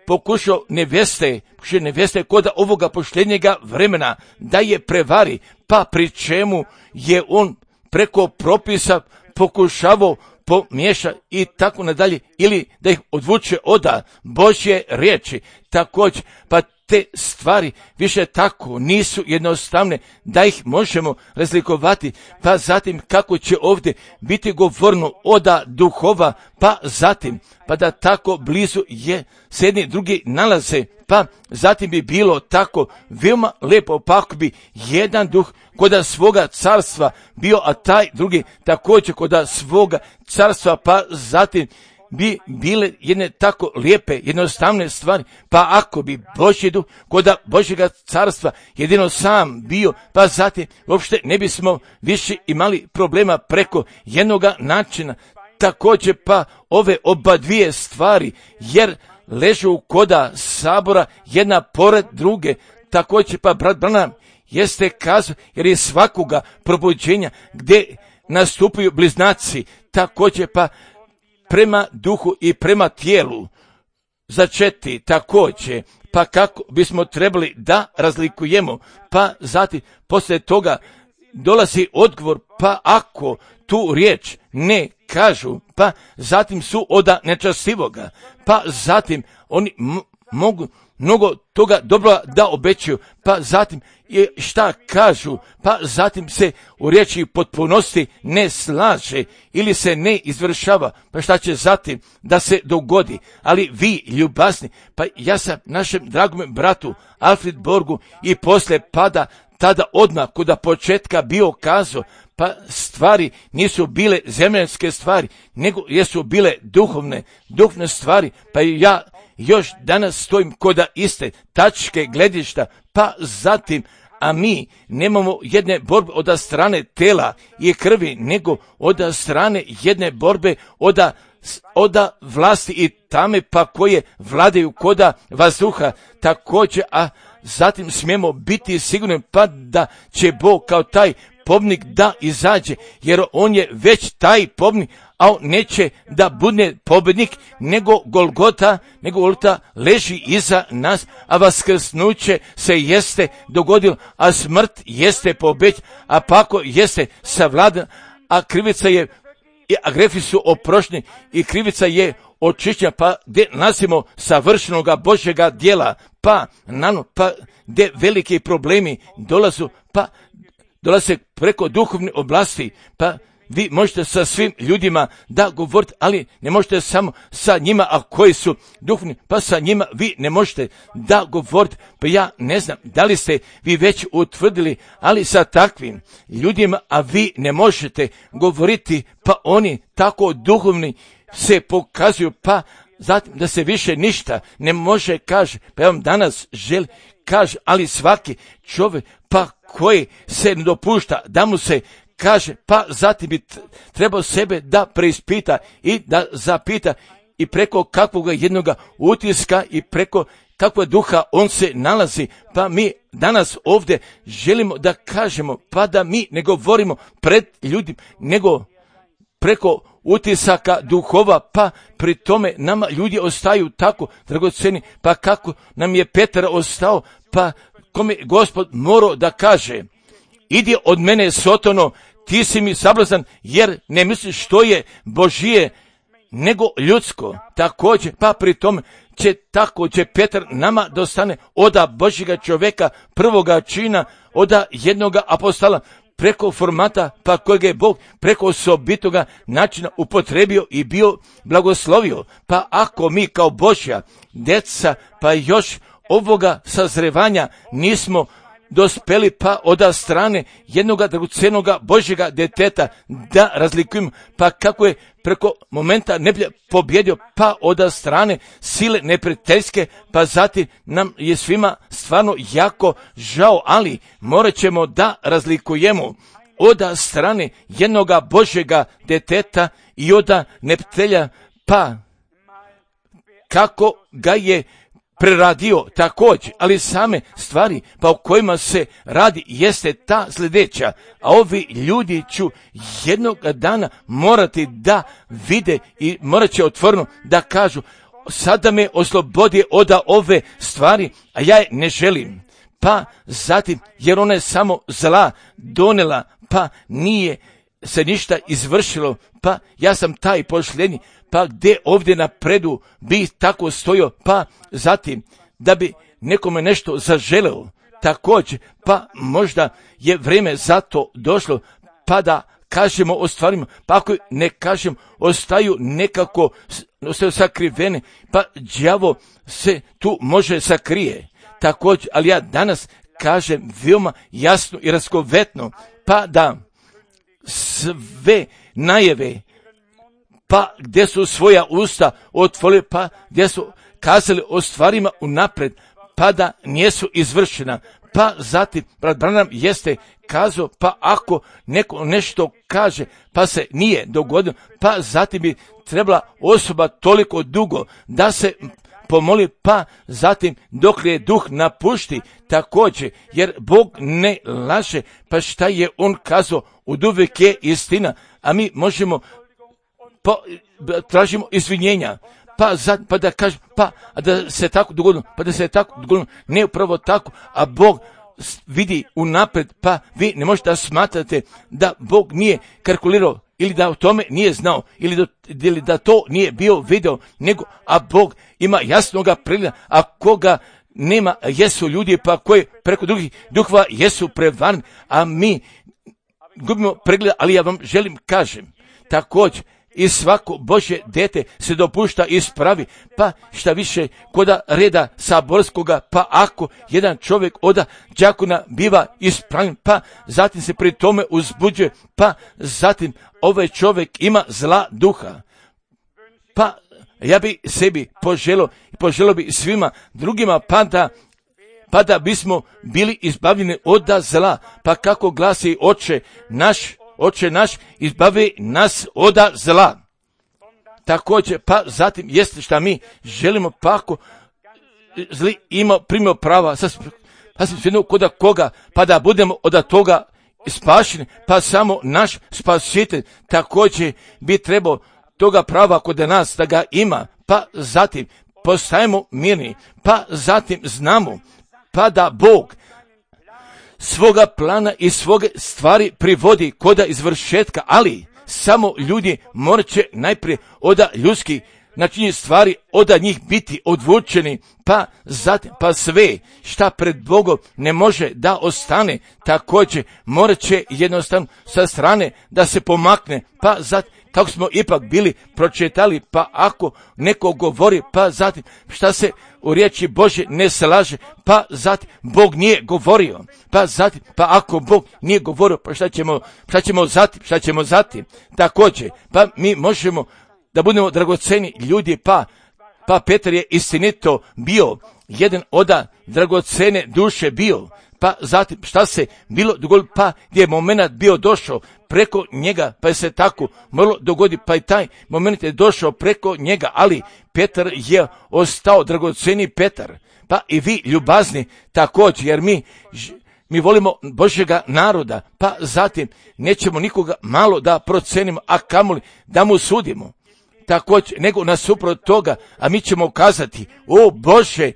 pokušao neveste, pokušao neveste kod ovoga pošljenjega vremena da je prevari, pa pri čemu je on preko propisa pokušavao pomiješa i tako nadalje, ili da ih odvuče oda Božje riječi, također, pa te stvari više tako nisu jednostavne da ih možemo razlikovati, pa zatim kako će ovdje biti govorno oda duhova, pa zatim, pa da tako blizu je se jedni drugi nalaze, pa zatim bi bilo tako veoma lepo, pa ako bi jedan duh koda svoga carstva bio, a taj drugi također koda svoga carstva, pa zatim bi bile jedne tako lijepe, jednostavne stvari, pa ako bi Božji duh koda Božjega carstva jedino sam bio, pa zatim uopšte ne bismo više imali problema preko jednoga načina, također pa ove oba dvije stvari, jer ležu koda sabora jedna pored druge, također pa brat Branham jeste kazao, jer je svakoga probuđenja gdje nastupaju bliznaci, također pa prema duhu i prema tijelu začeti također, pa kako bismo trebali da razlikujemo, pa zatim poslije toga dolazi odgovor, pa ako tu riječ ne kažu, pa zatim su oda nečastivoga, pa zatim oni m- mogu mnogo toga dobro da obećaju, pa zatim šta kažu, pa zatim se u riječi potpunosti ne slaže ili se ne izvršava, pa šta će zatim da se dogodi. Ali vi ljubazni, pa ja sam našem dragome bratu Alfred Borgu i poslije pada tada odmah kuda početka bio kazao, pa stvari nisu bile zemljanske stvari, nego jesu bile duhovne, duhovne stvari, pa ja još danas stojim koda iste tačke gledišta, pa zatim, a mi nemamo jedne borbe od strane tela i krvi, nego od strane jedne borbe od oda vlasti i tame, pa koje vladaju koda vazduha također, a zatim smijemo biti sigurni pa da će Bog kao taj pobnik da izađe, jer on je već taj pobnik, a on neće da bude pobednik, nego Golgota, nego Golgota leži iza nas, a vaskrsnuće se jeste dogodilo, a smrt jeste pobeđena, a pako jeste savladan, a krivica je, a grefi su oprošteni i krivica je očišćena, pa gdje nasimo savršenoga Božjega djela, pa nano, pa gdje veliki problemi dolazu, pa dolaze preko duhovne oblasti, pa vi možete sa svim ljudima da govorite, ali ne možete samo sa njima, a koji su duhovni, pa sa njima vi ne možete da govorite, pa ja ne znam da li ste vi već utvrdili, ali sa takvim ljudima, a vi ne možete govoriti, pa oni tako duhovni se pokazuju, pa zatim da se više ništa ne može kaže, pa ja vam danas želim kaže, ali svaki čovjek pa koji se ne dopušta da mu se kaže, pa zatim bi trebao sebe da preispita i da zapita i preko kakvog jednoga utiska i preko kakvog duha on se nalazi. Pa mi danas ovdje želimo da kažemo, pa da mi ne govorimo pred ljudima, nego preko utisaka duhova, pa pri tome nama ljudi ostaju tako dragoceni, pa kako nam je Petar ostao, pa kome Gospod morao da kaže, idi od mene Sotono, ti si mi sablazan, jer ne misliš što je Božije, nego ljudsko. Također, pa pri tome će tako će Petar nama dostane oda Božjega čovjeka, prvoga čina, oda jednoga apostola, preko formata pa kojeg je Bog preko osobitoga načina upotrebio i bio blagoslovio. Pa ako mi kao Božja djeca pa još ovoga sazrevanja nismo dospeli pa od strane jednoga dragocenoga Božjega djeteta da razlikujemo, pa kako je preko momenta neblje pobjedio pa od strane sile neprijateljske, pa zatim nam je svima stvarno jako žao, ali morat ćemo da razlikujemo od strane jednoga Božjega djeteta i od neprijatelja, pa kako ga je preradio također, ali same stvari pa o kojima se radi jeste ta sljedeća, a ovi ljudi ću jednog dana morati da vide i morat će otvoreno da kažu, sada me oslobodi od ove stvari, a ja je ne želim. Pa zatim, jer ona je samo zla donela, pa nije se ništa izvršilo, pa ja sam taj pošljenji, pa gdje ovdje napredu bi tako stojio, pa zatim da bi nekome nešto zaželeo također, pa možda je vrijeme za to došlo, pa da kažemo o stvarima, pa ako ne kažem, ostaju nekako, ostaju sakrivene, pa đavo se tu može sakrije također, ali ja danas kažem veoma jasno i raskovetno, pa da sve najave, pa gdje su svoja usta otvorili, pa gdje su kazali o stvarima unaprijed, pa da nisu izvršena. Pa zatim, brat Branham jeste kazao, pa ako neko nešto kaže, pa se nije dogodilo, pa zatim bi trebala osoba toliko dugo da se pomoli, pa zatim dok je duh napušti također, jer Bog ne laže, pa šta je on kazao, oduvijek je istina, a mi možemo pa tražimo izvinjenja, pa, za, pa da kažem, pa da se tako dogodilo, pa da se tako dogodilo, ne upravo tako, a Bog vidi unaprijed, pa vi ne možete da smatrate da Bog nije kalkulirao ili da o tome nije znao ili da, ili da to nije bio video, nego a Bog ima jasnoga pregleda, a koga nema jesu ljudi pa koji preko drugih duhova jesu prevarni, a mi gubimo pregleda, ali ja vam želim kažem također, i svako Božje dete se dopušta ispravi, pa šta više koda reda saborskoga, pa ako jedan čovjek oda đakona biva ispravljen, pa zatim se pri tome uzbuđuje, pa zatim ovaj čovjek ima zla duha. Pa ja bi sebi poželio i poželio bi svima drugima, pa da pa da bismo bili izbavljeni od zla, pa kako glasi Oče naš, Oče naš, izbavi nas od zla. Također, pa zatim jeste šta mi želimo, pa ako zli ima primio prava, pa sam svejedno koda koga, pa da budemo od toga spašeni, pa samo naš spasitelj također bi trebao toga prava kod nas da ga ima, pa zatim postajemo mirni, pa zatim znamo, pa da Bog svoga plana i svoge stvari privodi koda izvršetka, ali samo ljudi morat će najprije od ljudskih načinjenih stvari od njih biti odvučeni, pa zatim, pa sve šta pred Bogom ne može da ostane, također morat će jednostavno sa strane da se pomakne, pa zatim, kako smo ipak bili pročitali, pa ako neko govori, pa zatim šta se u riječi Božje ne slaže, pa zatim Bog nije govorio, pa zatim, pa ako Bog nije govorio, pa šta ćemo, šta ćemo zatim, šta ćemo zatim, također, pa mi možemo da budemo dragoceni ljudi, pa, pa Petar je istinito bio, jedan od dragocene duše bio, pa zatim šta se bilo dogodilo, pa gdje je moment bio došao preko njega, pa je se tako moglo dogoditi, pa i taj moment je došao preko njega, ali Petar je ostao, dragoceni Petar, pa i vi ljubazni također, jer mi Mi volimo Božjega naroda, pa zatim nećemo nikoga malo da procenimo, a kamoli da mu sudimo. Također, nego nasuprot toga, a mi ćemo kazati, o Bože,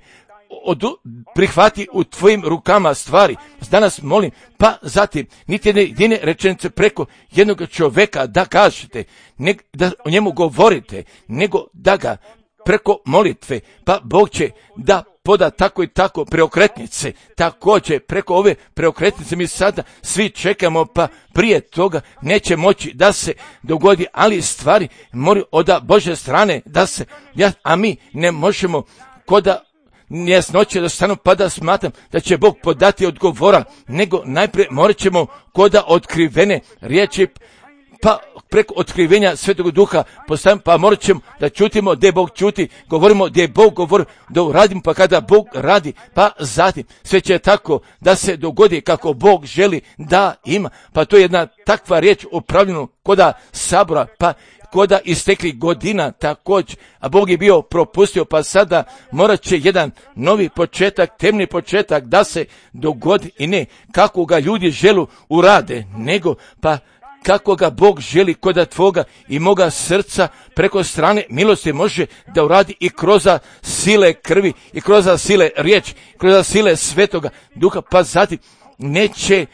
odu, prihvati u tvojim rukama stvari. Danas molim, pa zatim, niti jedne jedine rečenice preko jednog čovjeka da kažete, ne, da o njemu govorite, nego da ga preko molitve, pa Bog će da poda tako i tako preokretnice. Također preko ove preokretnice mi sada svi čekamo, pa prije toga neće moći da se dogodi, ali stvari moraju od Božje strane da se, ja, a mi ne možemo koda jasnoće da stanu pa da smatram da će Bog podati odgovora, nego najprije morat ćemo koda otkrivene riječi, pa preko otkrivenja Svetog Duha postavimo, pa morat ćemo da čutimo gdje Bog čuti, govorimo gdje Bog govori, da uradimo, pa kada Bog radi, pa zatim sve će tako da se dogodi kako Bog želi da ima, pa to je jedna takva riječ upravljena koda sabora, pa koda istekli godina također, a Bog je bio propustio, pa sada morat će jedan novi početak, temni početak da se dogodi i ne kako ga ljudi želu urade, nego pa kako ga Bog želi koda tvoga i moga srca preko strane milosti može da uradi i kroz sile krvi, i kroz sile riječi, kroz sile Svetoga Duha, pa zatim neće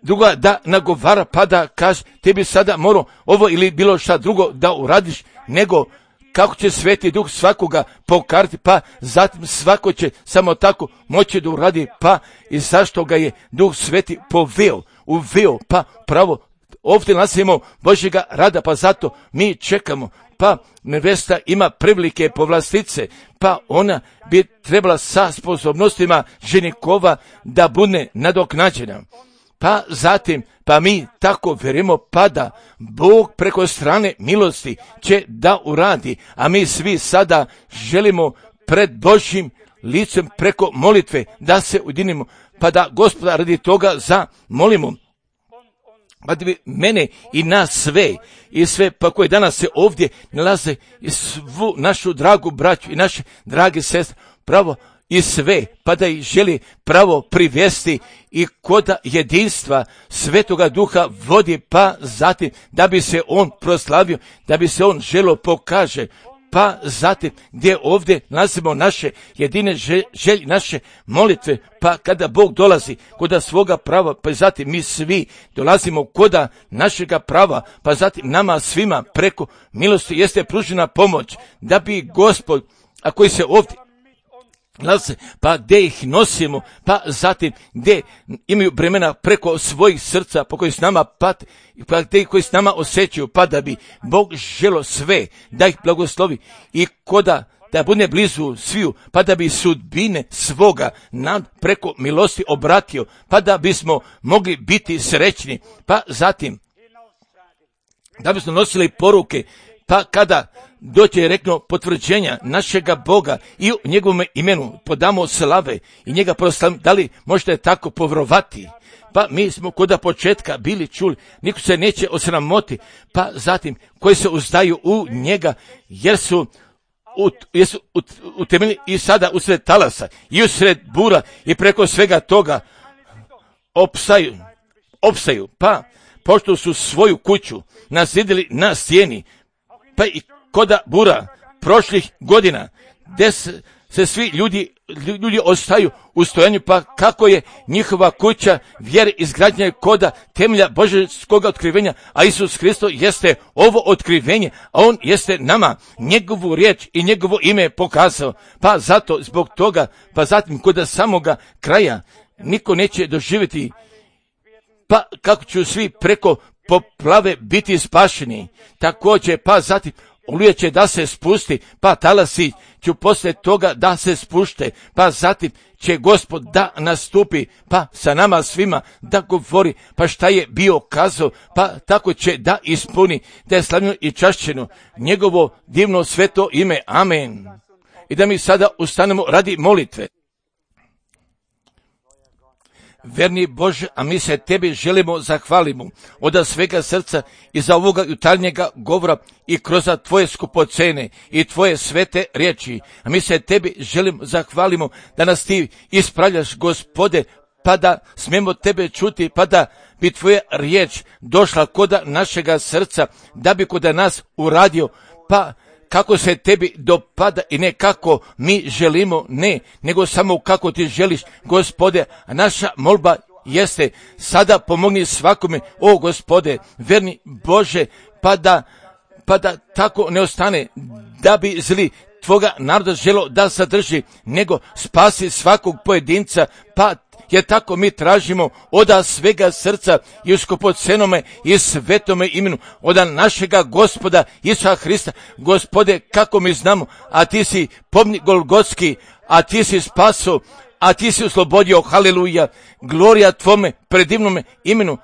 druga da nagovara pa da kaže tebi sada morao ovo ili bilo šta drugo da uradiš, nego kako će Sveti Duh svakoga pokarti, pa zatim svako će samo tako moći da uradi, pa i zašto ga je Duh Sveti poveo, uveo, pa pravo ovdje nasimo Božjega rada, pa zato mi čekamo, pa nevesta ima prilike povlastice, pa ona bi trebala sa sposobnostima ženikova da bude nadoknađena. Pa zatim, pa mi tako vjerujemo, pa da Bog preko strane milosti će da uradi, a mi svi sada želimo pred Božjim licem preko molitve da se ujedinimo, pa da Gospoda radi toga zamolimo. Pa da bi mene i nas sve, i sve pa koji danas se ovdje nalaze, i svu našu dragu braću i naše drage sestre, pravo i sve, pa da ih želi pravo privesti i koda jedinstva Svetoga Duha vodi, pa zatim da bi se on proslavio, da bi se on želo pokaže, pa zatim gdje ovdje nalazimo naše jedine želje, naše molitve, pa kada Bog dolazi koda svoga prava, pa zatim mi svi dolazimo koda našega prava, pa zatim nama svima preko milosti jeste pružena pomoć, da bi Gospod, a koji se ovdje nalaze, pa gdje ih nosimo, pa zatim gdje imaju bremena preko svojih srca, po koji s nama pate, pa gdje koji s nama osjećaju, pa da bi Bog želo sve, da ih blagoslovi i koda da bude blizu sviju, pa da bi sudbine svoga nad preko milosti obratio, pa da bismo mogli biti srećni, pa zatim da bismo nosili poruke, pa kada doće rekno potvrđenja našega Boga i u njegovom imenu podamo slave i njega proslavimo, da li možete tako povrovati? Pa mi smo koda početka bili čuli, niko se neće osramoti, pa zatim koji se uzdaju u njega, jer su Ut, jesu ut, utemeljeni i sada usred talasa i usred bura i preko svega toga opstaju, opstaju, pa pošto su svoju kuću naslijedili na stijeni, pa i koda bura prošlih godina, gdje se, se svi ljudi, ljudi ostaju u stojanju, pa kako je njihova kuća vjere izgrađena koda temelja Božjskoga otkrivenja, a Isus Hristo jeste ovo otkrivenje, a on jeste nama njegovu riječ i njegovo ime pokazao, pa zato zbog toga, pa zatim koda samoga kraja niko neće doživjeti, pa kako će svi preko poplave biti spašeni, također pa zatim oluja će da se spusti, pa talasi će poslije toga da se spušte, pa zatim će Gospod da nastupi, pa sa nama svima da govori, pa šta je bio kazao, pa tako će da ispuni, da je slavljeno i čašćeno njegovo divno sveto ime. Amen. I da mi sada ustanemo radi molitve. verni Bože, a mi se tebi želimo zahvalimo od svega srca i za ovoga jutarnjega govora i kroz tvoje skupocene i tvoje svete riječi. A mi se tebi želimo zahvalimo da nas ti ispravljaš, Gospode, pa da smemo tebe čuti, pa da bi tvoja riječ došla koda našega srca, da bi koda nas uradio, pa kako se tebi dopada i ne kako mi želimo, ne, nego samo kako ti želiš, Gospode. A naša molba jeste, sada pomogni svakome, o Gospode, verni Bože, pa da, pa da tako ne ostane, da bi zli tvoga naroda želo da sadrži, nego spasi svakog pojedinca, pa jer tako mi tražimo oda svega srca i u skupocenome i svetome imenu, oda našega Gospoda Isusa Hrista. Gospode, kako mi znamo, a ti si pomnik Golgotski, a ti si spaso, a ti si oslobodio, haleluja, glorija tvome predivnome imenu,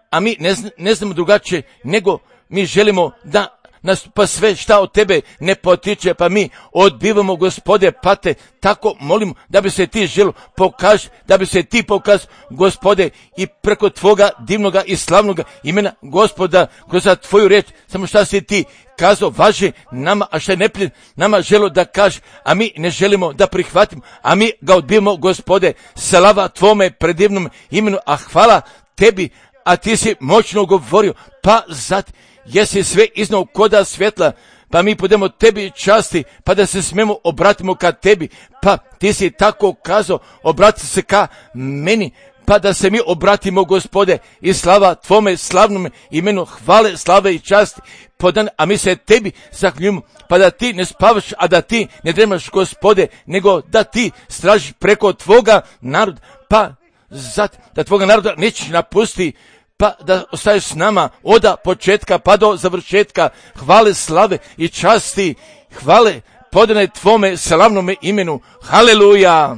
a mi ne, zna, ne znamo drugačije, nego mi želimo da nas pa sve šta od tebe ne potiče, pa mi odbivamo, Gospode, pa te tako molimo da bi se ti želo pokaži, da bi se ti pokaz, Gospode, i preko tvoga divnoga i slavnoga imena, Gospoda, kroz tvoju reč, samo šta si ti kazao, važi nama, a šta je nepljen, nama želo da kaže, a mi ne želimo da prihvatimo, a mi ga odbijemo, Gospode, slava tvome predivnom imenu, a hvala tebi, a ti si moćno govorio, pa zato jesi sve iznao koda svjetla, pa mi budemo tebi časti, pa da se smemo obratimo ka tebi, pa ti si tako kazao, obrati se ka meni, pa da se mi obratimo, Gospode, i slava tvome slavnome imenu, hvale, slave i časti, podan, a mi se tebi zahvaljujemo, pa da ti ne spavaš, a da ti ne dremaš, Gospode, nego da ti stražiš preko tvoga naroda, pa zat, da tvoga naroda nećeš napusti, pa da ostaješ s nama od početka pa do završetka. Hvale, slave i časti, hvale podane tvome slavnome imenu, haleluja.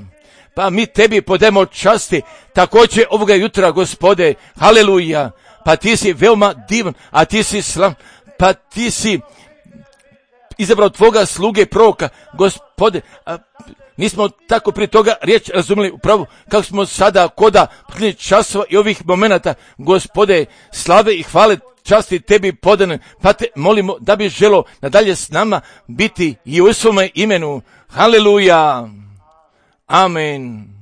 Pa mi tebi podajemo časti također ovoga jutra, Gospode, haleluja. Pa ti si veoma divan, a ti si slav, pa ti si izabrao tvoga sluge proroka, Gospode, a nismo tako prije toga riječ razumjeli upravo kako smo sada koda časova i ovih momenata, Gospode, slave i hvale časti tebi podane, pa te molimo da bi želo nadalje s nama biti i u svome imenu. Haleluja. Amen.